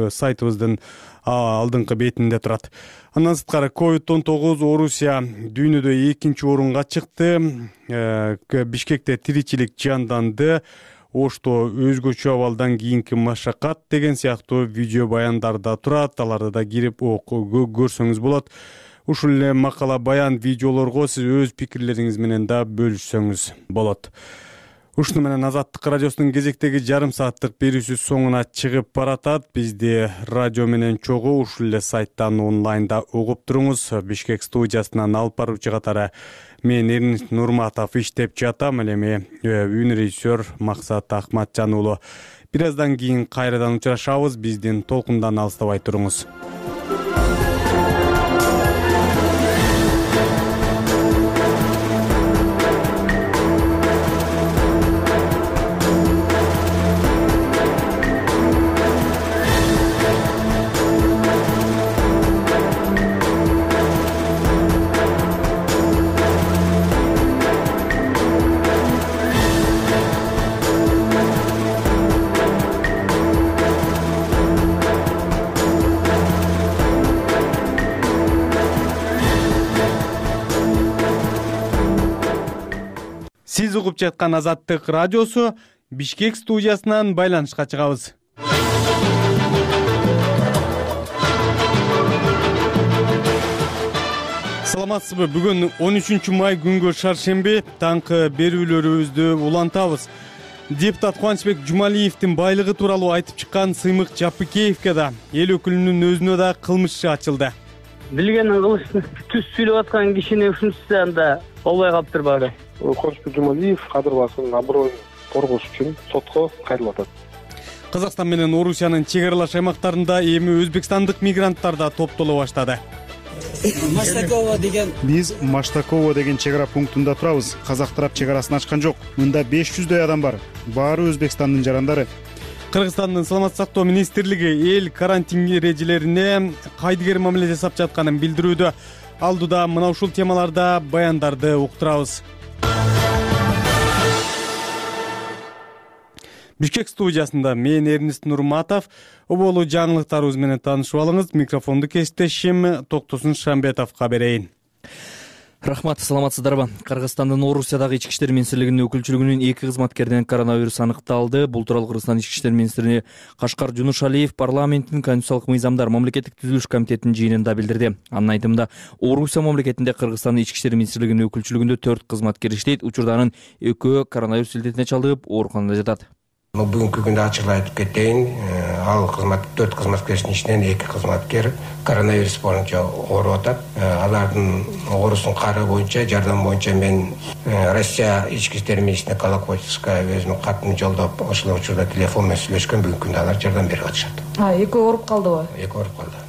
Speaker 2: сайтыбыздын алдыңкы бетинде турат. Андан сырткары COVID-19 Орусия дүйнөдө 2-нчи орунга чыкты. Бишкекте тиричилик жанданды. Ошто өзгөчө абалдан кийинки машакат деген сыяктуу видео баяндар да турат. Аларды да кирип көрсөңүз болот. Ушул эле макала баян видеолорго сиз өз пикирлериңиз менен да бөлүшсөңүз болот. Ушуну менен Азаттык радиосунун кезектеги жарым сааттык берүүсү соңуна чыгып баратат. Бизди радио менен чогуу ушул эле сайттан онлайнда угуп туруңуз. Бишкек студиясынан алып баруучу катары мен Эрнис Нурматов иштеп жатам. Ал эми үн режиссер Максат Акматжан уулу. Бир аздан кийин кайрадан учурашабыз. Биздин толкундан алыстабай туруңуз. угуп жаткан Азаттык радиосу Бишкек студиясынан байланышка чыгабыз. Саламатсызбы? Бүгүн 13 май күнгө шаршемби таңкы берүүлөрүбүздү улантабыз. Депутат Кубанычбек Жумалиевдин байлыгы тууралуу айтып чыккан Сыймык Жапыкеевге да эл өкүлүнүн өзүнө да кылмыш иши ачылды.
Speaker 5: Билгенин кылыштын түз сүйлөп аткан кишини ушунчусу анда болбой калыптыр баары.
Speaker 22: Кубанычбек Жумалиев кадыр басынын аброюн коргош үчүн сотко кайрылып атат.
Speaker 2: Казакстан менен Орусиянын чек аралаш аймактарында эми өзбекстандык мигранттар да топтоло баштады.
Speaker 23: Биз Маштакова деген чек ара пунктунда турабыз. Казак тарап чек арасын ачкан жок. Мында 500дөй адам бар. Баары Өзбекстандын жарандары.
Speaker 2: Кыргызстандын саламаттык сактоо министрлиги эл карантин эрежелерине кайдыгер мамиле жасап жатканын билдирүүдө. Алдыда мына ушул темаларда баяндарды уктурабыз. Бишкек студиясында мен Эрнест Нурматов. Оболу жаңылыктарыбыз менен таанышып алыңыз. Микрофонду кесиптешим Токтосун Шамбетовго берейин.
Speaker 4: Рахмат, саламатсыздарбы? Кыргызстандын Орусиядагы ички иштер министрлигинин өкүлчүлүгүнүн 2 кызматкеринен коронавирус аныкталды. Бул тууралуу Кыргызстан ички иштер министри Кашкар Жунушалиев парламенттин конституциялык мыйзамдар мамлекеттик түзүлүш комитетинин жыйынында билдирди. Анын айтымында, Орусия мамлекетинде Кыргызстандын ички иштер министрлигинин өкүлчүлүгүндө 4 кызматкер иштейт. Учурда анын 2-өө коронавирус илдетине чалдыгып, ооруканада жатат.
Speaker 24: Бүгүнкү күндө ачык айтып кетейин, ал 4 кызматкердин ичинен 2 кызматкер коронавирус боюнча ооруп атат. Алардын оорусун кары боюнча, жардам боюнча мен Россия ички иштер министрине Колокольчикка өзүмдүн катымды жолдоп, ошол учурда телефон менен сүйлөшкөн. Бүгүнкү күндө алар жардам берип атышат.
Speaker 25: Экөө ооруп калдыбы?
Speaker 24: Экөө ооруп калды.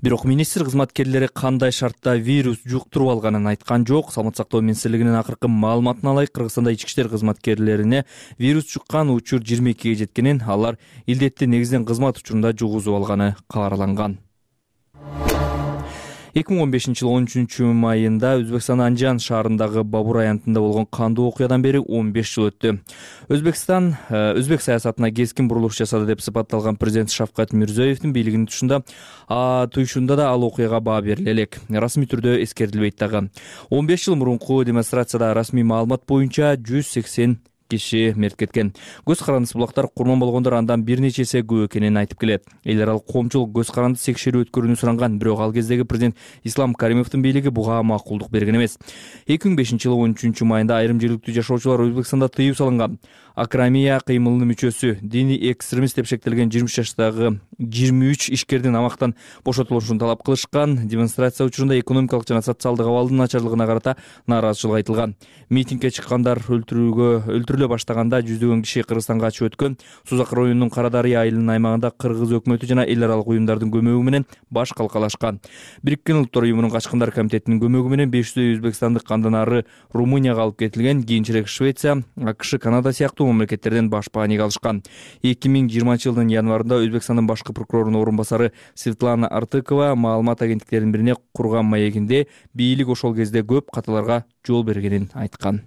Speaker 4: Бирок министр кызматкерлери кандай шартта вирус жуктуруп алганын айткан жок. Саламаттык сактоо министрлигинин акыркы маалыматына ылайык, Кыргызстанда ички иштер кызматкерлерине вирус жуккан учур 22ге жеткенин, алар илдетти негизинен кызмат учурунда жугузуп алганы кабарланган. 2015-жылы 13 майында Өзбекстандын Анжан шаарындагы Бабур аянтында болгон кандуу окуядан бери 15 жыл өттү. Өзбекстан өзбек саясатына кескин бурулуш жасады деп сыпатталган президент Шавкат Мирзиёевдин бийлигинин туюшунда да ал окуяга баа бериле элек. Расмий түрдө эскерилбейт дагы. 15 жыл мурунку демонстрацияда расмий маалымат боюнча 180 киши мерт кеткен. Көз карандысы булактар курман болгондор андан бир нече эсе көп экенин айтып келет. Эл аралык коомчулук көз карандысы текшерүү өткөрүүнү суранган, бирок ал кездеги президент Ислам Каримовдун бийлиги буга макулдук берген эмес. 2005-жылы 13 майында айрым жергиликтүү жашоочулар Өзбекстанда тыюу салынган. Акрамия кыймылынын мүчөсү, диний экстремист деп шектелген 20 жаштагы 23 ишкердин амактан бошотулушун талап кылышкан. Демонстрация учурунда экономикалык жана социалдык абалдын начарлыгына карата нааразычылык айтылган. Митингге чыккандар өлтүрүлө баштаганда жүздөгөн киши Кыргызстанга качып өткөн. Сузак районунун Кара Дарыя айылынын аймагында кыргыз өкмөтү жана эл аралык уюмдардын көмөгү менен баш калкалашкан. Бириккен Улуттар уюмунун качкындар комитетинин көмөгү менен 500 өзбекстандык андан ары Румынияга алып кетилген, кийинчерээк Швеция, АКШ, Канада сыяктуу мамлекеттерден баш бааник алышкан. 2020-жылдын январында Өзбекстандын башкы прокурорунун орун басары Светлана Артыкова маалымат агенттиктеринин бирине курган маегинде бийлик ошол кезде көп каталарга жол бергенин айткан.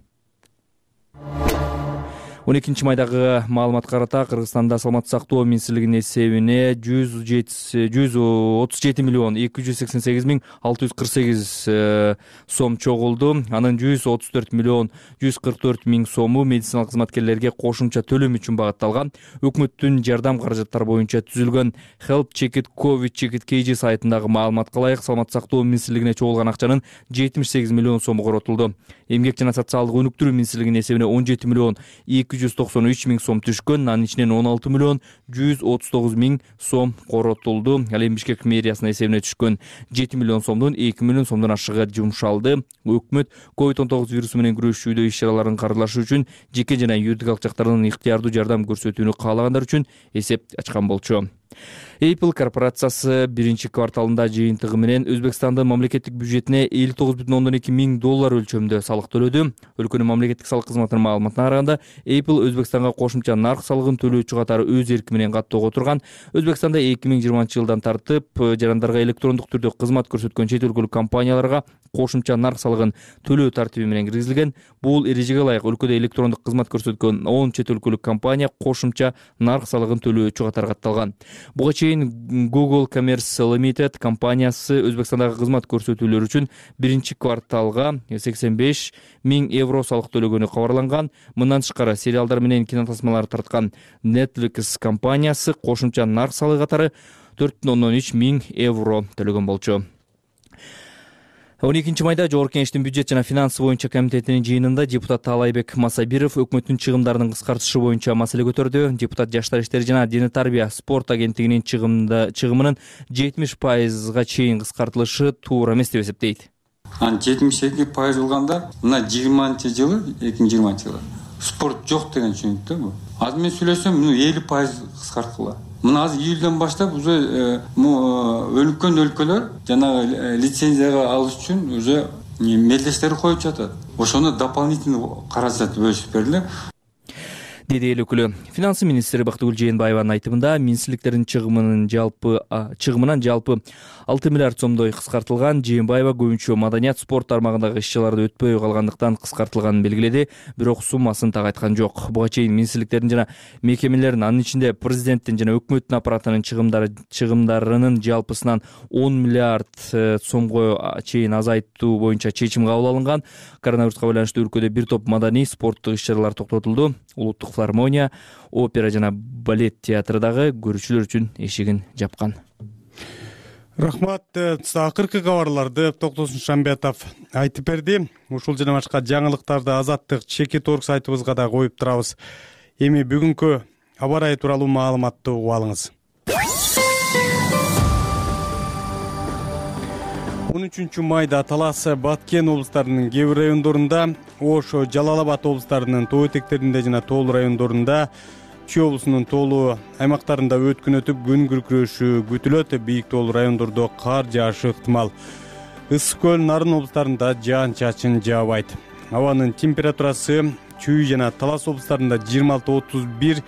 Speaker 4: 12 майдагы маалыматка карата Кыргызстанда саламаттык сактоо министрлигинин эсебине 137 миллион 288 миң 648 сом чогулду. Анын 134 миллион 144 миң сому медициналык кызматкерлерге кошумча төлөм үчүн багытталган. Өкмөттүн жардам каражаттары боюнча түзүлгөн Help Check It COVID Check It KG сайтындагы маалыматка ылайык саламаттык сактоо министрлигине чогулган акчанын 78 миллион сому коротулду. Эмгек жана социалдык өнүктүрүү министрлигинин эсебине 17 миллион 293 миң сом түшкөн. Анын ичинен 16 миллион 139 миң сом коротулду. Ал эми Бишкек мэриясынын эсебине түшкөн 7 миллион сомдон 2 миллион сомдон ашыгы жумшалды. Өкмөт COVID-19 вирусу менен күрөшүүдө иш-чараларын каржылаш үчүн жеке жана юридикалык жактардан ыктыярдуу жардам көрсөтүүнү каалагандар үчүн эсеп ачкан болчу. Apple корпорациясы биринчи кварталында жыйынтыгы менен Өзбекстандын мамлекеттик бюджетине 59,2 миң доллар өлчөмдө салык төлөдү. Өлкөнүн мамлекеттик салык кызматынын маалыматына караганда, Apple Өзбекстанга кошумча нарк салыгын төлөөчү катары өз эрки менен каттоого отурган. Өзбекстанда 2020-жылдан тартып жарандарга электрондук түрдө кызмат көрсөткөн чет өлкөлүк компанияларга кошумча нарк салыгын төлөө тартиби менен киргизилген. Бул эрежеге ылайык өлкөдө электрондук кызмат көрсөткөн 10 чет өлкөлүк компания кошумча нарк салыгын төлөөчү катары катталган. Буга чейин чейин Google Commerce Limited компаниясы Өзбекстандагы кызмат көрсөтүүлөр үчүн биринчи кварталга 85 000 евро салык төлөгөнү кабарланган. Мындан тышкары сериалдар менен кинотасмалар тарткан Netflix компаниясы кошумча нарк салыгы катары 4,3 000 евро төлөгөн болчу. 12 майда Жогорку Кеңештин бюджет жана финансы боюнча комитетинин жыйынында депутат Таалайбек Масабиров өкмөттүн чыгымдарын кыскартышы боюнча маселе көтөрдү. Депутат Жаштар иштери жана Дене тарбия спорт агенттигинин чыгымынын 70%га чейин кыскартылышы туура эмес деп эсептейт.
Speaker 6: 72% болгондо мына 2020 жылы спорт жок деген түшүнүктө бу. Азыр мен сүйлөсөм, 50% кыскартыла. Мына азыр июлдан баштап уже өлкөн өлкөлөр жанагы лицензияга алыш үчүн уже мелдештер коюп жатат. Ошону дополнительный каражат бөлүшүп бериле.
Speaker 4: Деди эл өкүлү. Финансы министри Бактыгүл Жээнбаеванын айтымында министрликтердин чыгымынан жалпы 6 миллиард сомдой кыскартылган. Жээнбаева көбүнчө маданият, спорт тармагындагы иш-чараларды өтпөй калгандыктан кыскартылганын белгиледи, бирок суммасын так айткан жок. Буга чейин министрликтердин жана мекемелердин, анын ичинде президенттин жана өкмөттүн аппаратынын чыгымдарынын жалпысынан 10 миллиард сомго чейин азайтуу боюнча чечим кабыл алынган. Коронавируска байланыштуу өлкөдө бир топ маданий, спорттук иш-чаралар токтотулду. Улуттук филармония, опера жана балет театры дагы көрүүчүлөр үчүн эшигин жапкан.
Speaker 2: Рахмат. Акыркы кабарларды Токтосун Шамбетов айтып берди. Ушул жана башка жаңылыктарды Азаттык Чекит.орг сайтыбызга да коюп турабыз. Эми бүгүнкү аба ырайы тууралуу маалыматты угуп алыңыз. 13 майда Талас, Баткен облустарынын кээ бир райондорунда, Ош, Жалал Абад облустарынын тоо этектеринде жана тоолуу райондорунда, Чүй облусунун тоолуу аймактарында өткүн өтүп күн күркүрөшү күтүлөт. Бийик тоолуу райондордо кар жаашы ыктымал. Ысык көл, Нарын облустарында жаан-чачын жаабайт. Абанын температурасы Чүй жана Талас облустарында 26-31,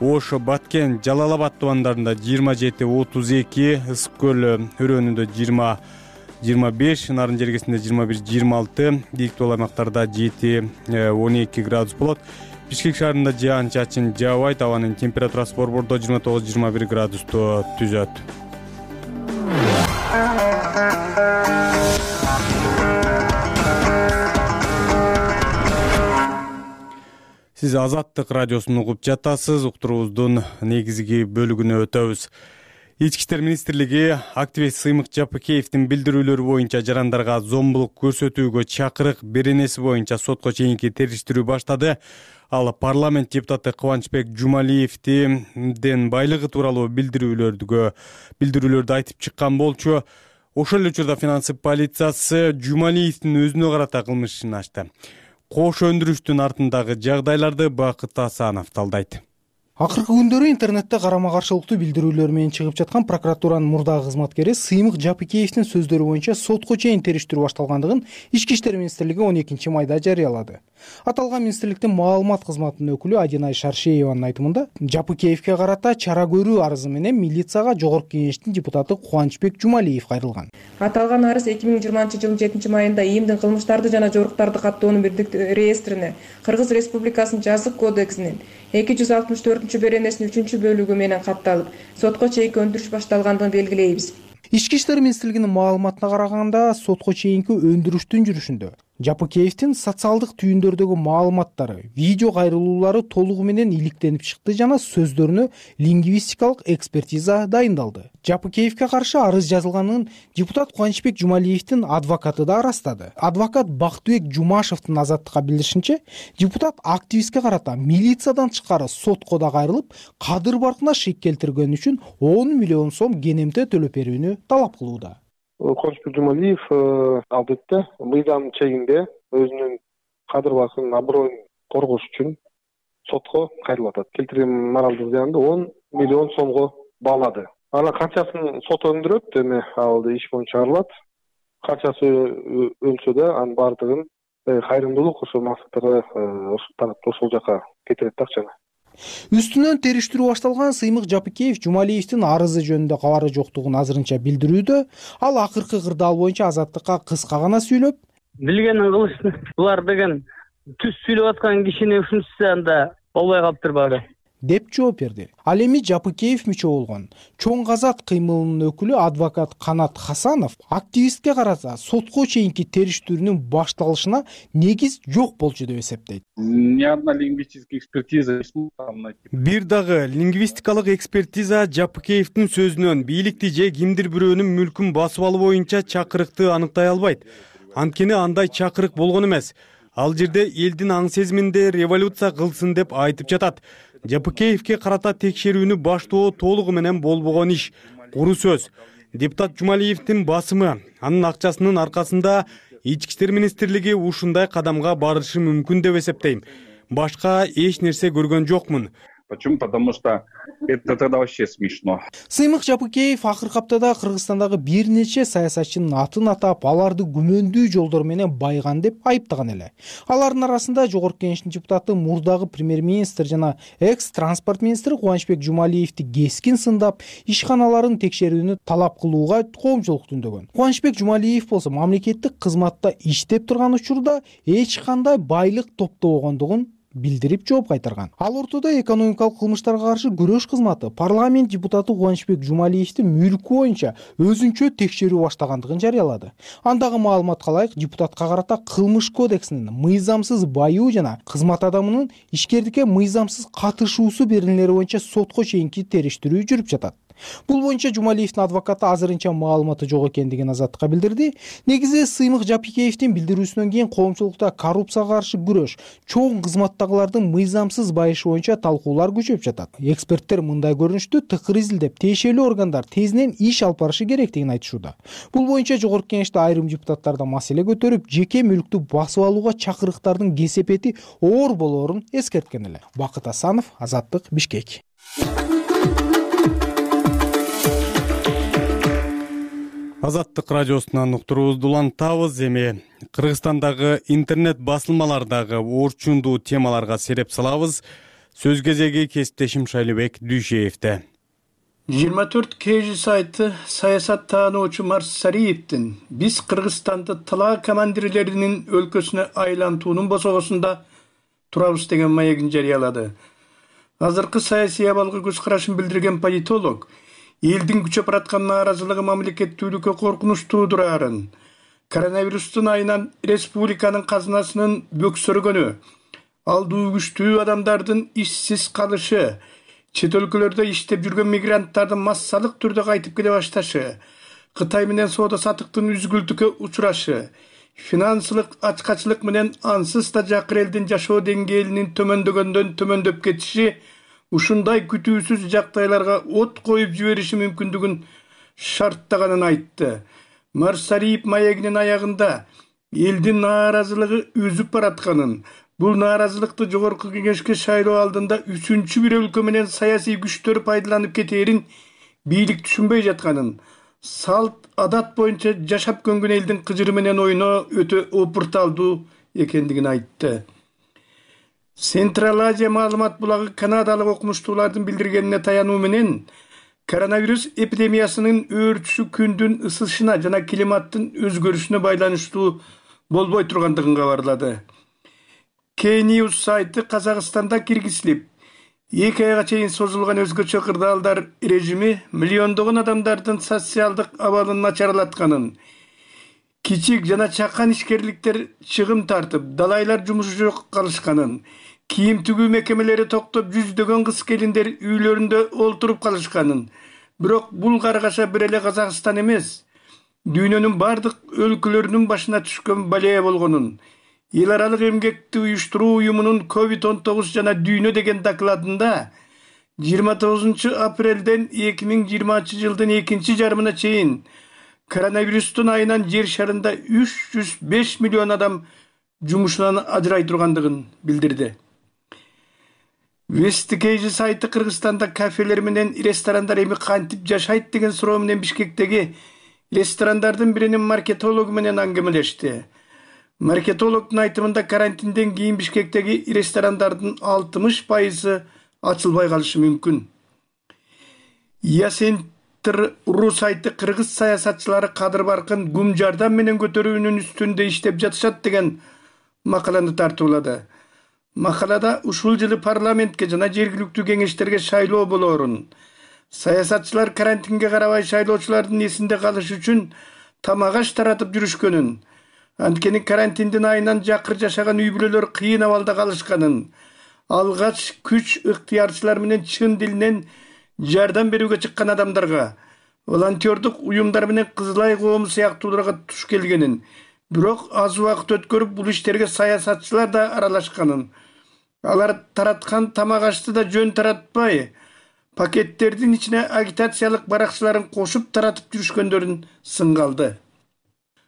Speaker 2: Ош, Баткен, Жалал Абад тубандарында 27-32, Ысык көл өрөөнүндө 20-25, Нарын жергесинде 21-26, бийик тоолуу аймактарда 7-12 градус болот. Бишкек шаарында жаан-чачын жаабайт. Абанын температурасы борбордо 29-21 градусту түзөт. Сиз Азаттык радиосун угуп жатасыз. Уктуруубуздун негизги бөлүгүнө өтөбүз. Ички иштер министрлиги активист Сыймык Жапыкеевдин билдирүүлөрү боюнча жарандарга зомбулук көрсөтүүгө чакырык беренеси боюнча сотко чейинки териштирүү баштады. Ал парламент депутаты Кубанычбек Жумалиевдин байлыгы тууралуу билдирүүлөрдү айтып чыккан болчу. Ошол эле учурда финансы полициясы Жумалиевдин өзүнө карата кылмыш ишин ачты. Кош өндүрүштүн артындагы жагдайларды Бакыт Асанов талдайт.
Speaker 8: Акыркы күндөрү интернетте карама каршылыктуу билдирүүлөр менен чыгып жаткан прокуратуранын мурдагы кызматкери Сыймык Жапыкеевдин сөздөрү боюнча сотко чейин териштирүү башталгандыгын Ички иштер министрлиги 12 майда жарыялады. Аталган министрликтин маалымат кызматынын өкүлү Адинай Шаршееванын айтымында, Жапыкеевге карата чара көрүү арызы менен милицияга Жогорку Кеңештин депутаты Кубанычбек Жумалиев кайрылган.
Speaker 9: Аталган арыз 2020 жылдын 7 майында ИИМдин кылмыштарды жана жоруктарды каттоонун бирдиктүү реестрине, Кыргыз Республикасынын жазык кодексинин 264 беренесинин 3 бөлүгү менен катталып, сотко чейинки өндүрүш башталгандыгын белгилейбиз.
Speaker 8: Ички иштер министрлигинин маалыматына караганда, сотко чейинки өндүрүштүн жүрүшүндө Жапыкеевдин социалдык түйүндөрдөгү маалыматтары, видео кайрылуулары толугу менен иликтенип чыкты жана сөздөрүнө лингвистикалык экспертиза дайындалды. Жапыкеевге каршы арыз жазылганын депутат Кубанычбек Жумалиевдин адвокаты да ырастады. Адвокат Бактыбек Жумашевдин Азаттыкка билдиришинче, депутат активистке карата милициядан тышкары сотко да кайрылып, кадыр баркына шек келтиргени үчүн 10 миллион сом кенемте төлөп берүүнү талап кылууда.
Speaker 22: Кубанычбек Жумалиев албетте мыйзам чегинде өзүнүн кадыр баркынын аброюн коргош үчүн сотко кайрылып атат. Келтирген моралдык зыянды 10 миллион сомго баалады. Ана канчасын сот өндүрөт, эми ал иш боюнча чыгарылат. Канчасы өлсө да анын баардыгын кайрымдуулук ошол максаттарга ошол жака кетирет да акчаны.
Speaker 8: Үстүнөн териштирүү башталган Сыймык Жапыкеев Жумалиевдин арызы жөнүндө кабары жоктугун азырынча билдирүүдө. Ал акыркы кырдаал боюнча Азаттыкка кыска гана сүйлөп,
Speaker 5: билгенин кылышты. Булар деген түз сүйлөп аткан кишини ушунчасы анда болбой калыптыр баары.
Speaker 8: деп жооп берди. Ал эми Жапыкеев мүчө болгон Чоң Казат кыймылынын өкүлү адвокат Канат Хасанов активистке карата сотко чейинки териштирүүнүн башталышына негиз жок болчу деп эсептейт.
Speaker 7: Ни одна лингвистическая экспертиза.
Speaker 2: Бир дагы лингвистикалык экспертиза Жапыкеевдин сөзүнөн бийликти же кимдир бирөөнүн мүлкүн басып алуу боюнча чакырыкты аныктай албайт. Анткени андай чакырык болгон эмес. Ал жерде элдин аң сезиминде революция кылсын деп айтып жатат. Жапыкеевке карата текшерүүнү баштоо толугу менен болбогон иш. Куру сөз. Депутат Жумалиевдин басымы, анын акчасынын аркасында Ички иштер министрлиги ушундай кадамга барышы мүмкүн деп эсептейм. Башка эч нерсе көргөн жокмун.
Speaker 7: Почему? Потому что это тогда вообще смешно.
Speaker 8: Сыймык Жапыкеев акыркы аптада Кыргызстандагы бир нече саясатчынын атын атап, аларды күмөндүү жолдор менен байган деп айыптаган эле. Алардын арасында Жогорку Кеңештин депутаты мурдагы премьер-министр жана экс-транспорт министри Кубанычбек Жумалиевди кескин сындап, ишканаларын текшерүүнү талап кылууга коомчулук түндөгөн. Кубанычбек Жумалиев болсо мамлекеттик кызматта иштеп турган учурда эч кандай байлык топтобогондугун билдирип жооп кайтарган. Ал ортодо экономикалык кылмыштарга каршы күрөш кызматы парламент депутаты Кубанычбек Жумалиевдин мүлкү боюнча өзүнчө текшерүү баштагандыгын жарыялады. Андагы маалыматка ылайык, депутатка карата кылмыш кодексинин мыйзамсыз баюу жана кызмат адамынын ишкердикке мыйзамсыз катышуусу берилмелери боюнча сотко чейинки териштирүү жүрүп жатат. Бул боюнча Жумалиевдин адвокаты азырынча маалыматы жок экендигин Азаттыкка билдирди. Негизи Сыймык Жапыкеевдин билдирүүсүнөн кийин коомчулукта коррупцияга каршы күрөш, чоң кызматтагылардын мыйзамсыз байышы боюнча талкуулар күчөп жатат. Эксперттер мындай көрүнүштү тыкыр изилдеп, тиешелүү органдар тезинен иш алып барышы керектигин айтышууда. Бул боюнча Жогорку Кеңеште айрым депутаттар да маселе көтөрүп, жеке мүлктү басып алууга чакырыктардын кесепети оор болоорун эскерткен эле. Бакыт Асанов, Азаттык, Бишкек.
Speaker 2: Азаттык радиосунан уктуруубузду улантабыз. Эми Кыргызстандагы интернет басылмалардагы орчундуу темаларга сереп салабыз. Сөз кезеги кесиптешим Шайлыбек Дүйшеевде.
Speaker 10: 24 KG сайты саясат таануучу Марсариевдин биз Кыргызстанды тылаа командирлеринин өлкөсүнө айлантуунун босогосунда турабыз деген маегин жарыялады. Азыркы саясий абалга көз карашын билдирген политолог элдин күчөп бараткан нааразылыгы мамлекеттүүлүккө коркунуч туудурарын, коронавирустун айынан республиканын казынасынын бөксөргөнү, алдуу күчтүү адамдардын ишсиз калышы, чет өлкөлөрдө иштеп жүргөн мигранттардын массалык түрдө кайтып келе башташы, Кытай менен соода сатыктын үзгүлтүккө учурашы, финансылык ачкачылык менен ансыз да жакыр элдин жашоо деңгээлинин төмөндөгөндөн төмөндөп кетиши ушундай күтүүсүз жагдайларга от коюп жибериши мүмкүндүгүн шарттаганын айтты. Марсариев маегинин аягында элдин нааразылыгы өзүп баратканын, бул нааразылыкты Жогорку Кеңешке шайлоо алдында үчүнчү бир өлкө менен саясий күчтөр пайдаланып кетээрин бийлик түшүнбөй жатканын, салт адат боюнча жашап көнгөн элдин кыжыры менен ойноо өтө опурталдуу экендигин айтты. Централ Азия маалымат булагы канадалык окумуштуулардын билдиргенине таянуу менен коронавирус эпидемиясынын өөрчүшү күндүн ысышына жана климаттын өзгөрүшүнө байланыштуу болбой тургандыгын кабарлады. K-News сайты Казакстанда киргизилип, 2 айга чейин созулган өзгөчө кырдаалдар режими миллиондогон адамдардын социалдык абалын начарлатканын, кичик жана чакан ишкерликтер чыгым тартып, далайлар жумушу жок калышканын, кийим тигүү мекемелери токтоп, жүздөгөн кыз келиндер үйлөрүндө олтуруп калышканын, бирок бул каргаша бир эле Казакстан эмес, дүйнөнүн бардык өлкөлөрүнүн башына түшкөн балея болгонун, Эл аралык эмгекти уюштуруу уюмунун COVID-19 жана дүйнө деген докладында 29 апрелден 2020 жылдын экинчи жарымына чейин коронавирустун айынан жер шарында 305 миллион адам жумушунан ажырай тургандыгын билдирди. Вестикейжи сайты Кыргызстанда кафелер менен ресторандар эми кантип жашайт деген суроо менен Бишкектеги ресторандардын биринин маркетологу менен аңгемелешти. Маркетологдун айтымында карантинден кийин Бишкектеги ресторандардын 60% ачылбай калышы мүмкүн. Центр.ру сайты кыргыз саясатчылары Кадыр Баркын гум жардам менен көтөрүүнүн үстүндө иштеп жатышат деген макаланы тартуулады. Макалада ушул жылы парламентке жана жергиликтүү кеңештерге шайлоо болоорун, саясатчылар карантинге карабай шайлоочулардын эсинде калыш үчүн тамак аш таратып жүрүшкөнүн, анткени карантиндин айынан жакыр жашаган үй бүлөлөр кыйын абалда калышканын, алгач күч ыктыярчылар менен чын дилинен жардам берүүгө чыккан адамдарга, волонтердук уюмдар менен Кызыл Ай коому сыяктууларга туш келгенин, бирок аз убакыт өткөрүп бул иштерге саясатчылар да аралашканын, алар тараткан тамак ашты да жөн таратпай, пакеттердин ичине агитациялык баракчаларын кошуп таратып жүрүшкөндөрүн сынга алды.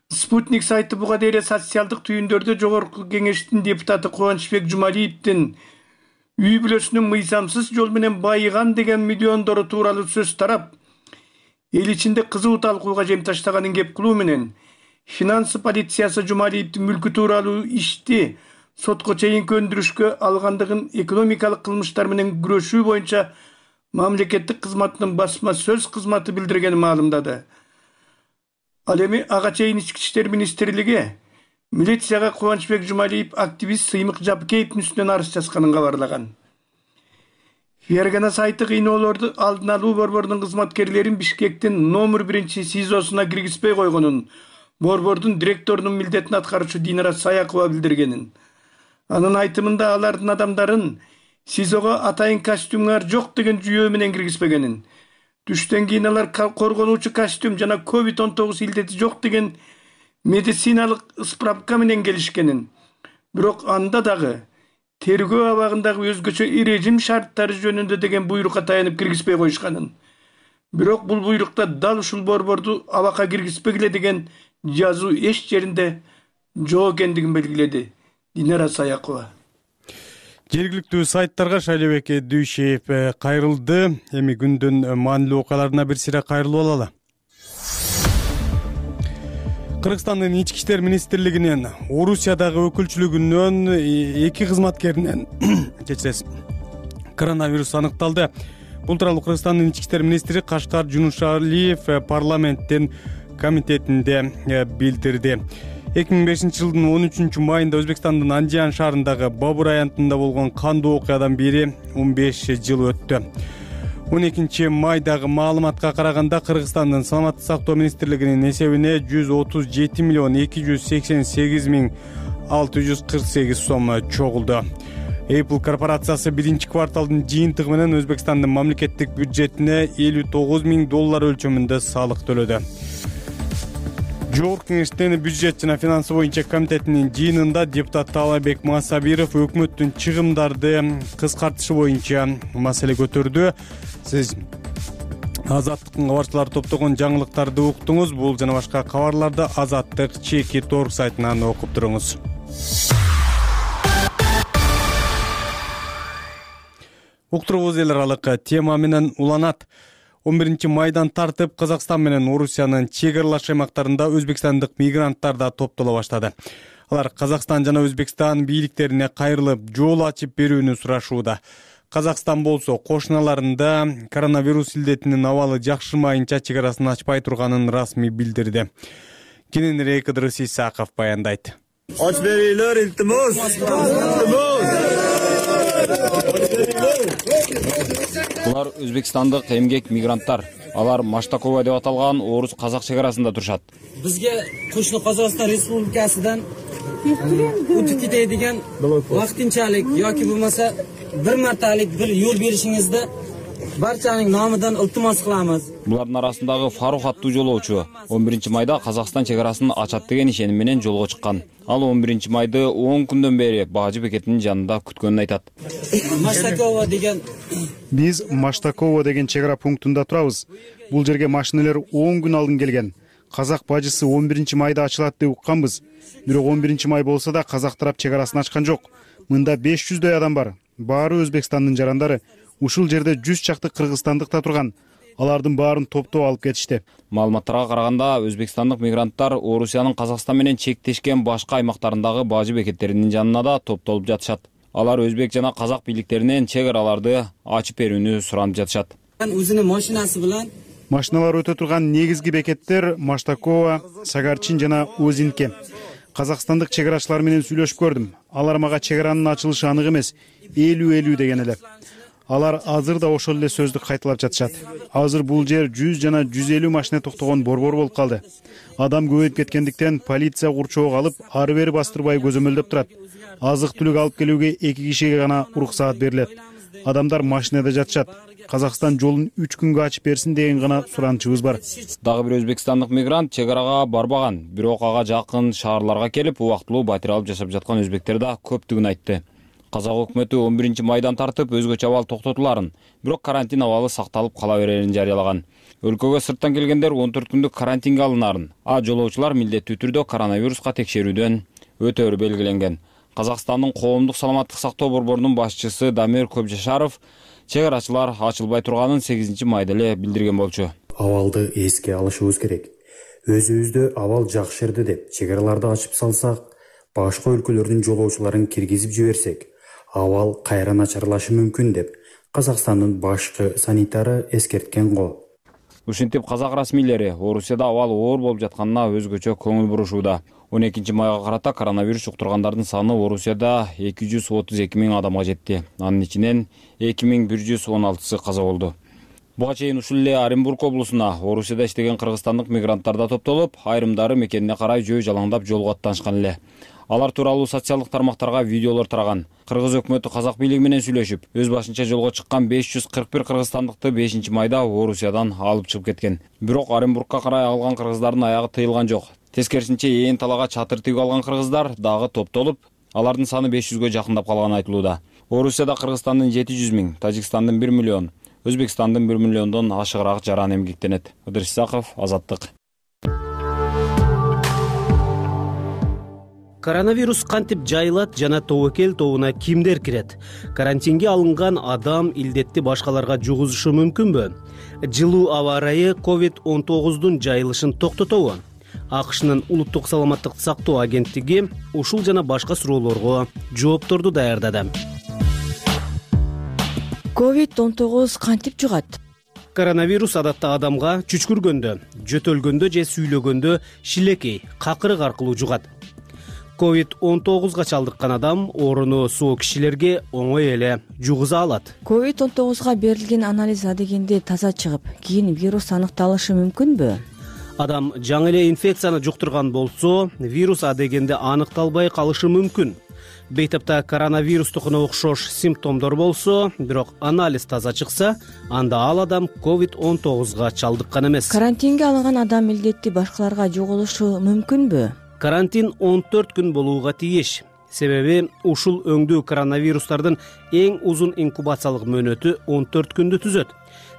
Speaker 10: Спутник сайты буга дейре социалдык түйүндөрдө жогорку кеңештин депутаты Кубанычбек Жумалиевдин үй бүлөсүнүн мыйзамсыз жол менен байыган деген миллиондору тууралуу сөз тарап, эл ичинде кызуу талкууга жем таштаганын кеп кылуу менен финансы полициясы Жумалиевдин мүлкү тууралуу ишти сотко чейинки өндүрүшкө алгандыгын экономикалык кылмыштар менен күрөшүү боюнча мамлекеттик кызматтын басма сөз кызматы билдиргенин маалымдады. Ал эми ага чейин ички иштер министрлиги милицияга Кубанычбек Жумалиев активист Сыймык Жапкеевдин үстүнөн арыз жазганын кабарлаган. Фергана сайты кыйноолорду алдын алуу борборунун кызматкерлерин Бишкектин номер 1 СИЗОсуна киргизбей койгонун борбордун директорунун милдетин аткаруучу Динара Саякова билдиргенин. Анын айтымында алардын адамдарын СИЗОго атайын костюмдар жок деген жүйө менен киргизбегенин, түштөн кийин алар коргонуучу костюм жана COVID-19 илдети жок деген медициналык справка менен келишкенин, бирок анда дагы тергөө абагындагы өзгөчө режим шарттары жөнүндө деген буйрукка таянып киргизбей коюшканын, бирок бул буйрукта дал ушул борборду абакка киргизбегиле деген жазуу эч жеринде жок экендигин белгиледи Динара Саякова.
Speaker 2: Жергиликтүү сайттарга Шайлообек Дүйшеев кайрылды. Эми күндүн маанилүү окуяларына бир сыйра кайрылып алалы. Кыргызстандын ички иштер министрлигинин Орусиядагы өкүлчүлүгүнөн 2 кызматкеринен кечиресиз коронавирус аныкталды. Бул тууралуу Кыргызстандын ички иштер министри Кашкар Жунушалиев парламенттин комитетинде билдирди. 2005 жылдын 13 майында Өзбекстандын Андижан шаарындагы Бабур аянтында болгон кандуу окуядан бери 15 жыл өттү. 12 майдагы маалыматка караганда Кыргызстандын саламаттык сактоо министрлигинин эсебине 137 миллион 288 миң 648 сом чогулду. Apple корпорациясы биринчи кварталдын жыйынтыгы менен Өзбекстандын мамлекеттик бюджетине $59 миң өлчөмүндө салык төлөдү. Жогорку кеңештин бюджет жана финансы боюнча комитетинин жыйынында депутат Таалайбек Масабиров өкмөттүн чыгымдарды кыскартышы боюнча маселе көтөрдү. Сиз Азаттыктын кабарчылары топтогон жаңылыктарды уктуңуз. Бул жана башка кабарларды Азаттык чеки торг сайтынан окуп туруңуз. Уктуруубуз эл аралык тема менен уланат. 11 майдан тартып Казакстан менен Орусиянын чек аралаш аймактарында өзбекстандык мигранттар да топтоло баштады. Алар Казакстан жана Өзбекстан бийликтерине кайрылып, жол ачып берүүнү сурашууда. Казакстан болсо кошуналарында коронавирус илдетинин абалы жакшырмайынча чек арасын ачпай турганын расмий билдирди. Кененирээк Ыдырыс Исаков баяндайт.
Speaker 11: Ач берийлер, илтимос.
Speaker 13: Булар өзбекстандык эмгек мигранттар. Алар Маштакова деп аталган орус-казак чек арасында турушат.
Speaker 14: Бизге кошуна Казакстан Республикасынан өтүп кетедиген вактынчалык yoki bo'lmasa bir martalik bir yo'l berishingizda barchaning nomidan iltimos qilamiz.
Speaker 13: Булардын арасындагы Фарух аттуу жолоочу 11 майда Казакстан чек арасын ачат деген ишеним менен жолго чыккан. Ал 11 майды 10 күндөн бери Бажы бекетинин жанында күткөнүн айтат.
Speaker 14: Маштакова деген
Speaker 23: Биз Маштакова деген чек ара пунктунда турабыз. Бул жерге машиналар 10 күн алдын келген. Казак бажысы 11 майда ачылат деп укканбыз. Бирок 11 май болсо да казак тарап чек арасын ачкан жок. Мында 500дөй адам бар. Баары Өзбекстандын жарандары. Ушул жерде 100 чакты кыргызстандык да турган. Алардын баарын топтоп алып кетишти.
Speaker 13: Маалыматтарга караганда өзбекстандык мигранттар Орусиянын Казакстан менен чектешкен башка аймактарындагы бажы бекеттеринин жанына да топтолуп жатышат. Алар өзбек жана казак бийликтеринен чек араларды ачып берүүнү суранып жатышат.
Speaker 14: Өзүнүн машинасы менен
Speaker 23: машиналар өтө турган негизги бекеттер Маштакова, Сагарчин жана Озинке. Казакстандык чек арачылар менен сүйлөшүп көрдүм. алар мага чек аранын ачылышы анык эмес, 50-50 деген эле. Алар азыр да ошол эле сөздү кайталап жатышат. Азыр бул жер 100 жана 150 машина токтогон борбор болуп калды. Адам көбөйүп кеткендиктен полиция курчоого алып, ары бери бастырбай көзөмөлдөп турат. Азык-түлүк алып келүүгө 2 кишиге гана уруксаат берилет. Адамдар машинада жатышат. Казакстан жолун 3 күнгө ачып берсин деген гана суранычыбыз бар.
Speaker 13: Дагы бир өзбекстандык мигрант чек арага барбаган, бирок ага жакын шаарларга келип, убактылуу батир алып жашап жаткан өзбектер да көптүгүн айтты. Казак өкмөтү 11 майдан тартып өзгөчө абал токтотуларын, бирок карантин абалы сакталып кала берерин жарыялаган. Өлкөгө сырттан келгендер 14 күндүк карантинге алынарын, жолоочулар милдеттүү түрдө коронавируска текшерүүдөн өтөөрү белгиленген. Казакстандын коомдук саламаттык сактоо борборунун башчысы Дамир Көпжашаров чек арачылар ачылбай турганын 8 майда эле билдирген болчу.
Speaker 1: Абалды эске алышыбыз керек. Өзүбүздө абал жакшырды деп чек араларды ачып салсак, башка өлкөлөрдүн жолоочуларын киргизип жиберсек, абал кайра начарлашы мүмкүн деп Казакстандын башкы санитары эскерткен го.
Speaker 13: Ушинтип казак расмийлери Орусияда абал оор болуп жатканына өзгөчө көңүл бурушууда. 12 майга карата коронавирус жуктургандардын саны Орусияда 232 000 адамга жетти. Анын ичинен 2116 каза болду. Буга чейин ушул эле Оренбург облусуна Орусияда иштеген кыргызстандык мигранттар да топтолуп, айрымдары мекенине карай жөө жалаңдап жолго аттанышкан эле. Алар тууралуу социалдык тармактарга видеолор тараган. Кыргыз өкмөтү казак бийлиги менен сүйлөшүп, өз башынча жолго чыккан 541 кыргызстандыкты 5 майда Орусиядан алып чыгып кеткен. Бирок Оренбургка карай алган кыргыздардын аягы тыйылган жок. Тескерисинче ээн талага чатыр тигип алган кыргыздар дагы топтолуп, алардын саны 500гө жакындап калганы айтылууда. Орусияда Кыргызстандын 700 000, Тажикстандын 1 миллион, Өзбекстандын 1 миллиондон ашыгыраак жаран эмгектенет. Ыдырыс Исаков, Азаттык.
Speaker 3: Коронавирус кантип жайылат жана тобокел тобуна кимдер кирет? Карантинге алынган адам илдетти башкаларга жугузушу мүмкүнбү? Жылуу аба ырайы COVID-19 жайылышын токтотобу? АКШнын улуттук саламаттык сактоо агенттиги ушул жана башка суроолорго жоопторду даярдады.
Speaker 12: COVID-19 кантип жугат?
Speaker 3: Коронавирус адатта адамга чүчкүргөндө, жөтөлгөндө же сүйлөгөндө шилекей, какырык аркылуу жугат. COVID-19 чалдыккан адам орunu соо кишилерге оңой эле жугуза алат.
Speaker 12: COVID-19 берилген анализ адегенде таза чыгып, кийин вирус аныкталышы мүмкүнбү?
Speaker 3: Адам жаңы эле инфекцияны жуктурган болсо, вирус адегенде аныкталбай калышы мүмкүн. Бейтапта коронавирустукуна окшош симптомдор болсо, бирок анализ таза чыкса, анда ал адам COVID-19 чалдыккан эмес.
Speaker 12: Карантинге алынган адам илдетти башкаларга жугулушу мүмкүнбү?
Speaker 3: Карантин 14 күн болууга тийиш. Себеби ушул өңдүү коронавирустардын эң узун инкубациялык мөөнөтү 14 күндү түзөт.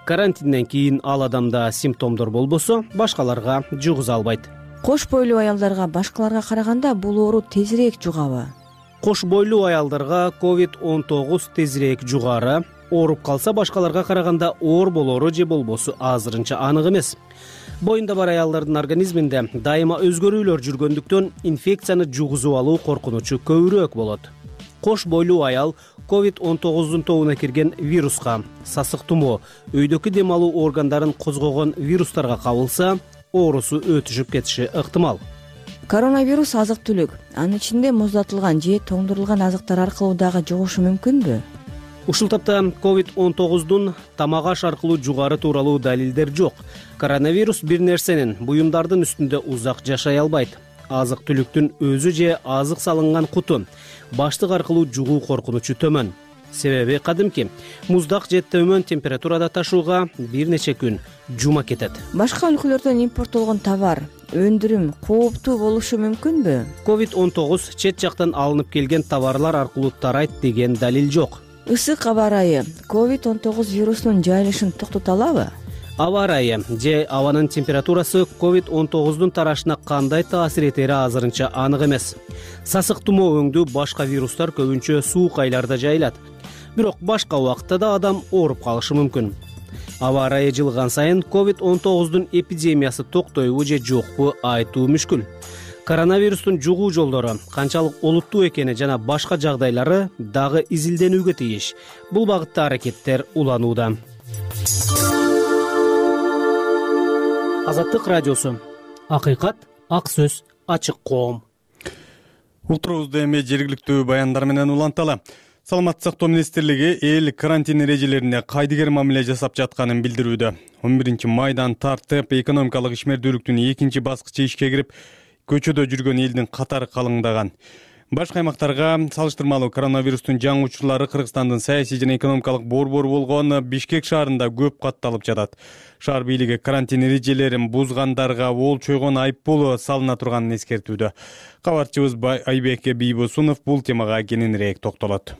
Speaker 3: Карантинден кийин ал адамда симптомдор болбосо, башкаларга жугуза албайт.
Speaker 12: Кош бойлуу аялдарга башкаларга караганда бул оору тезирээк жугабы?
Speaker 3: Кош бойлуу аялдарга COVID-19 тезирээк жугары, ооруп калса башкаларга караганда оор болору же болбосу азырынча анык эмес. Боюнда бар аялдардын организминде дайыма өзгөрүүлөр жүргөндүктөн инфекцияны жугузуп алуу коркунучу көбүрөөк болот. Кош бойлуу аял COVID-19 тобуна кирген вируска, сасык тумоо, өйдөкү дем алуу органдарын козгогон вирустарга кабылса, оорусу өтүшүп кетиши ыктымал.
Speaker 12: Коронавирус азык-түлүк, анын ичинде муздатылган же тоңдурулган азыктар аркылуу дагы жугушу мүмкүнбү?
Speaker 3: Ушул тапта COVID-19 тамак аш аркылуу жугары тууралуу далилдер жок. Коронавирус бир нерсенин, буюмдардын үстүндө узак жашай албайт. Азык-түлүктүн өзү же азык салынган куту, баштык аркылуу жугуу коркунучу төмөн. Себеби кадимки муздак же төмөн температурада ташууга бир нече күн жума кетет.
Speaker 12: Башка өлкөлөрдөн импорттолгон товар, өндүрүм кооптуу болушу мүмкүнбү?
Speaker 3: COVID-19 чет жактан алынып келген товарлар аркылуу тарайт деген далил жок.
Speaker 12: Ысык аба ырайы COVID-19 вирусунун жайылышын токтото алабы?
Speaker 3: Аба ырайы же абанын температурасы COVID-19 тарашына кандай таасир этери азырынча анык эмес. Сасык тумоо өңдүү башка вирустар көбүнчө суук айларда жайылат. Бирок башка убакытта да адам ооруп калышы мүмкүн. Аба ырайы жылган сайын COVID-19 эпидемиясы токтойбу же жокпу айтуу мүшкүл. Коронавирустун жугуу жолдору канчалык олуттуу экени жана башка жагдайлары дагы изилденүүгө тийиш. Бул багытта аракеттер уланууда. Азаттык радиосу. Акыйкат, ак сөз, ачык коом.
Speaker 2: Утурубузду эми жергиликтүү баяндар менен уланталы. Саламаттык сактоо министрлиги эл карантин эрежелерине кайдыгер мамиле жасап жатканын билдирүүдө. 11 майдан тартып экономикалык ишмердүүлүктүн экинчи баскычы ишке кирип, көчөдө жүргөн элдин катары калыңдаган. Башка аймактарга салыштырмалуу коронавирустун жаңы учурлары Кыргызстандын саясий жана экономикалык борбору болгон Бишкек шаарында көп катталып жатат. Шаар бийлиги карантин эрежелерин бузгандарга ол чойгон айыппул салына турганын эскертүүдө. Кабарчыбыз Айбек Бийбосунов бул темага кененирээк токтолот.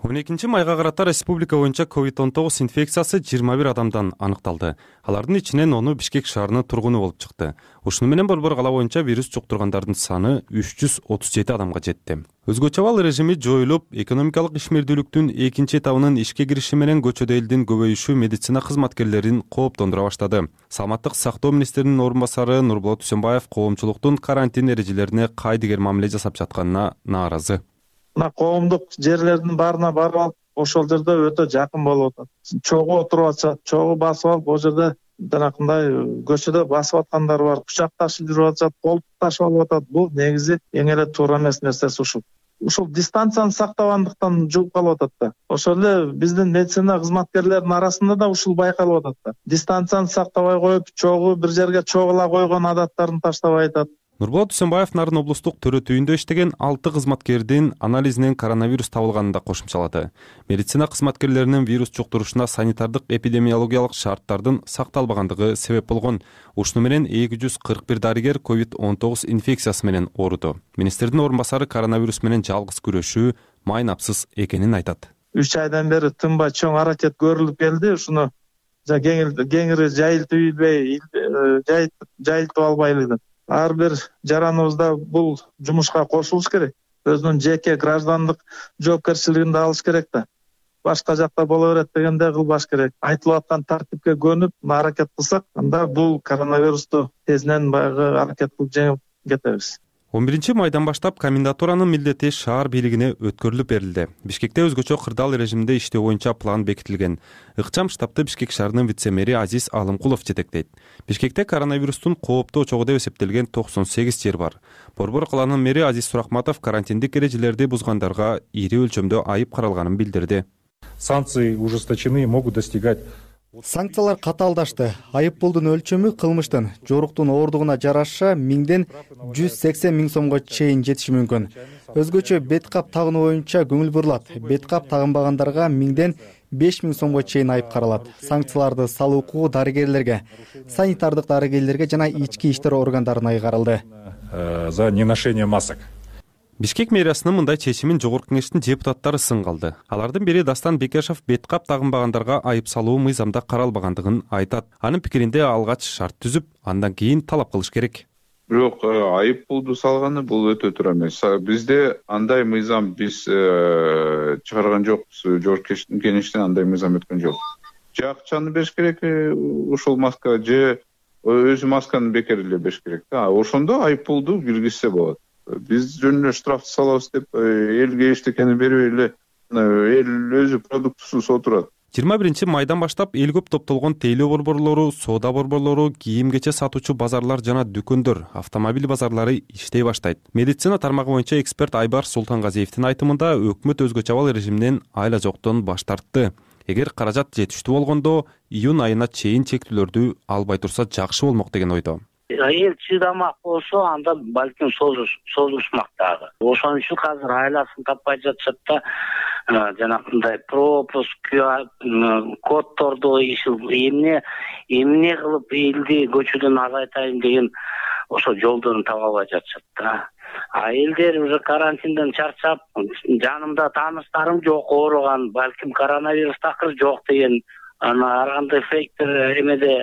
Speaker 15: 12 майга карата республика боюнча COVID-19 инфекциясы 21 адамдан аныкталды. Алардын ичинен 10 Бишкек шаарынын тургуну болуп чыкты. Ушуну менен Борбор кала боюнча вирус жуктургандардын саны 337 адамга жетти. Өзгөчө абал режими жоюлуп, экономикалык ишмердүүлүктүн экинчи этабынын ишке кириши менен көчөдө элдин көбөйүшү медицина кызматкерлерин кооптондура баштады. Саламаттык сактоо министринин орун басары Нурболот Усенбаев коомчулуктун карантин эрежелерине кайдыгер мамиле жасап жатканына нааразы.
Speaker 16: Мына коомдук жерлердин баарына барып алып, ошол жерде өтө жакын болуп атат. Чогуу отуруп атышат, чогуу басып алып, ал жерде жанакындай көчөдө басып аткандар бар, кучак ташып жүрүп атышат, колтук ташып алып атат. Бул негизи эң эле туура эмес нерсеси ушул. Ушул дистанцияны сактабагандыктан жугуп калып атат да. Ошол эле биздин медицина кызматкерлеринин арасында да ушул байкалып атат да. Дистанцияны сактабай коюп, чогуу бир жерге чогула койгон адаттарын таштабай атат.
Speaker 15: Нурболот Усенбаев Нарын облустук төрөтүйүндө иштеген 6 кызматкердин анализинен коронавирус табылганын да кошумчалады. Медицина кызматкерлеринин вирус жуктурушуна санитардык эпидемиологиялык шарттардын сакталбагандыгы себеп болгон. Ушуну менен 241 дарыгер COVID-19 инфекциясы менен ооруду. Министрдин орун басары коронавирус менен жалгыз күрөшүү майнапсыз экенин айтат.
Speaker 16: 3 айдан бери тынбай чоң аракет көрүлүп келди. Ушуну кеңири жайылтып албайлы деп. Ар бир жараныбызда бул жумушка кошулуш керек. Өзүнүн жеке граждандык жоопкерчилигин да алыш керек да. Башка жакта боло берет дегенде кылбаш керек. Айтылып аткан тартипке көнүп, аракет кылсак, анда бул коронавирусту тезинен баягы аракет кылып жеңип кетебиз.
Speaker 15: 11 майдан баштап комендатуранын милдети шаар бийлигине өткөрүлүп берилди. Бишкекте өзгөчө кырдаал режимде иштөө боюнча план бекитилген. Ыкчам штабты Бишкек шаарынын вице-мэри Азиз Алымкулов жетектейт. Бишкекте коронавирустун кооптуу очогу деп эсептелген 98 жер бар. Борбор каланын мэри Азиз Сурахматов карантиндик эрежелерди бузгандарга ири өлчөмдө айып каралганын билдирди.
Speaker 17: Санкции ужесточены, могут достигать.
Speaker 23: Санкциялар катаалдашты. Айыппулдун өлчөмү кылмыштын жоруктун ооругуна жараша 1000ден 180 000 сомго чейин жетиши мүмкүн. Өзгөчө бет кап тагынуу боюнча көңүл бурулат. Бет кап тагынбагандарга 1000ден 5000 сомго чейин айып каралат. Санкцияларды салуу укугу дарыгерлерге, санитардык дарыгерлерге жана ички иштер органдарына ыйгарылды.
Speaker 17: За неношение масок.
Speaker 15: Бишкек мэриясынын мындай чечимин жогорку кеңештин депутаттары сын калды. Алардын бири Дастан Бекешев бет кап тагынбагандарга айып салуу мыйзамда каралбагандыгын айтат. Анын пикиринде алгач шарт түзүп, андан кийин талап кылыш керек.
Speaker 19: Бирок айып пулду салганы бул өтө туура эмес. Бизде андай мыйзам биз чыгарган жокпуз. Жогорку кеңештен андай мыйзам өткөн жок. Же акчаны бериш керек ушул маска, же өзү масканы бекериле бериш керек. Ошондо айып пулду киргизсе болот. Биз жөнүнө штрафты салабыз деп элге эчтекени бербей эле эл өзү продуктусуз отурат.
Speaker 15: 21 майдан баштап эл көп топтолгон тейлөө борборлору, соода борборлору, кийим-кече сатуучу базарлар жана дүкөндөр, автомобиль базарлары иштей баштайт. Медицина тармагы боюнча эксперт Айбар Султангазиевдин айтымында өкмөт өзгөчө абал режиминен айла жоктон баш тартты. Эгер каражат жетиштүү болгондо, июнь айына чейин чектүүлөрдү албай турса жакшы болмок деген ойдо.
Speaker 25: Эл чыдамак болсо, анда балким созулушмак дагы. Ошон үчүн азыр айласын таппай жатышат да, жанакындай пропуск, коддорду эмне кылып элди көчөдөн азайтайын деген ошо жолдорун таба албай жатышат да. Элдер уже карантинден чарчап, жанымда тааныштарым жок ооруган, балким коронавирус такыр жок деген ар кандай фейктер эмеде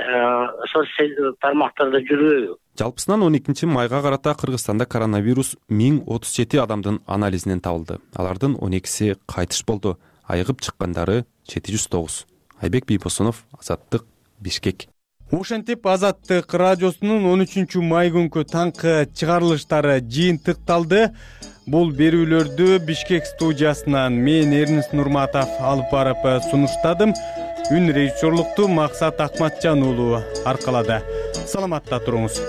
Speaker 25: социалдык тармактарда жүрбөйбү.
Speaker 15: Жалпысынан 12 майга карата Кыргызстанда коронавирус 1037 адамдын анализинен табылды. Алардын 12си кайтыш болду. Айыгып чыккандары 709. Айбек Бийбосунов, Азаттык, Бишкек.
Speaker 2: Ошентип Азаттык радиосунун 13 май күнкү таңкы чыгарылыштары жыйынтыкталды. Бул берүүлөрдү Бишкек студиясынан мен Эрнис Нурматов алып барып сунуштадым. Үн режиссерлукту Максат Акматжан уулу аркалады. Саламатта туруңуз.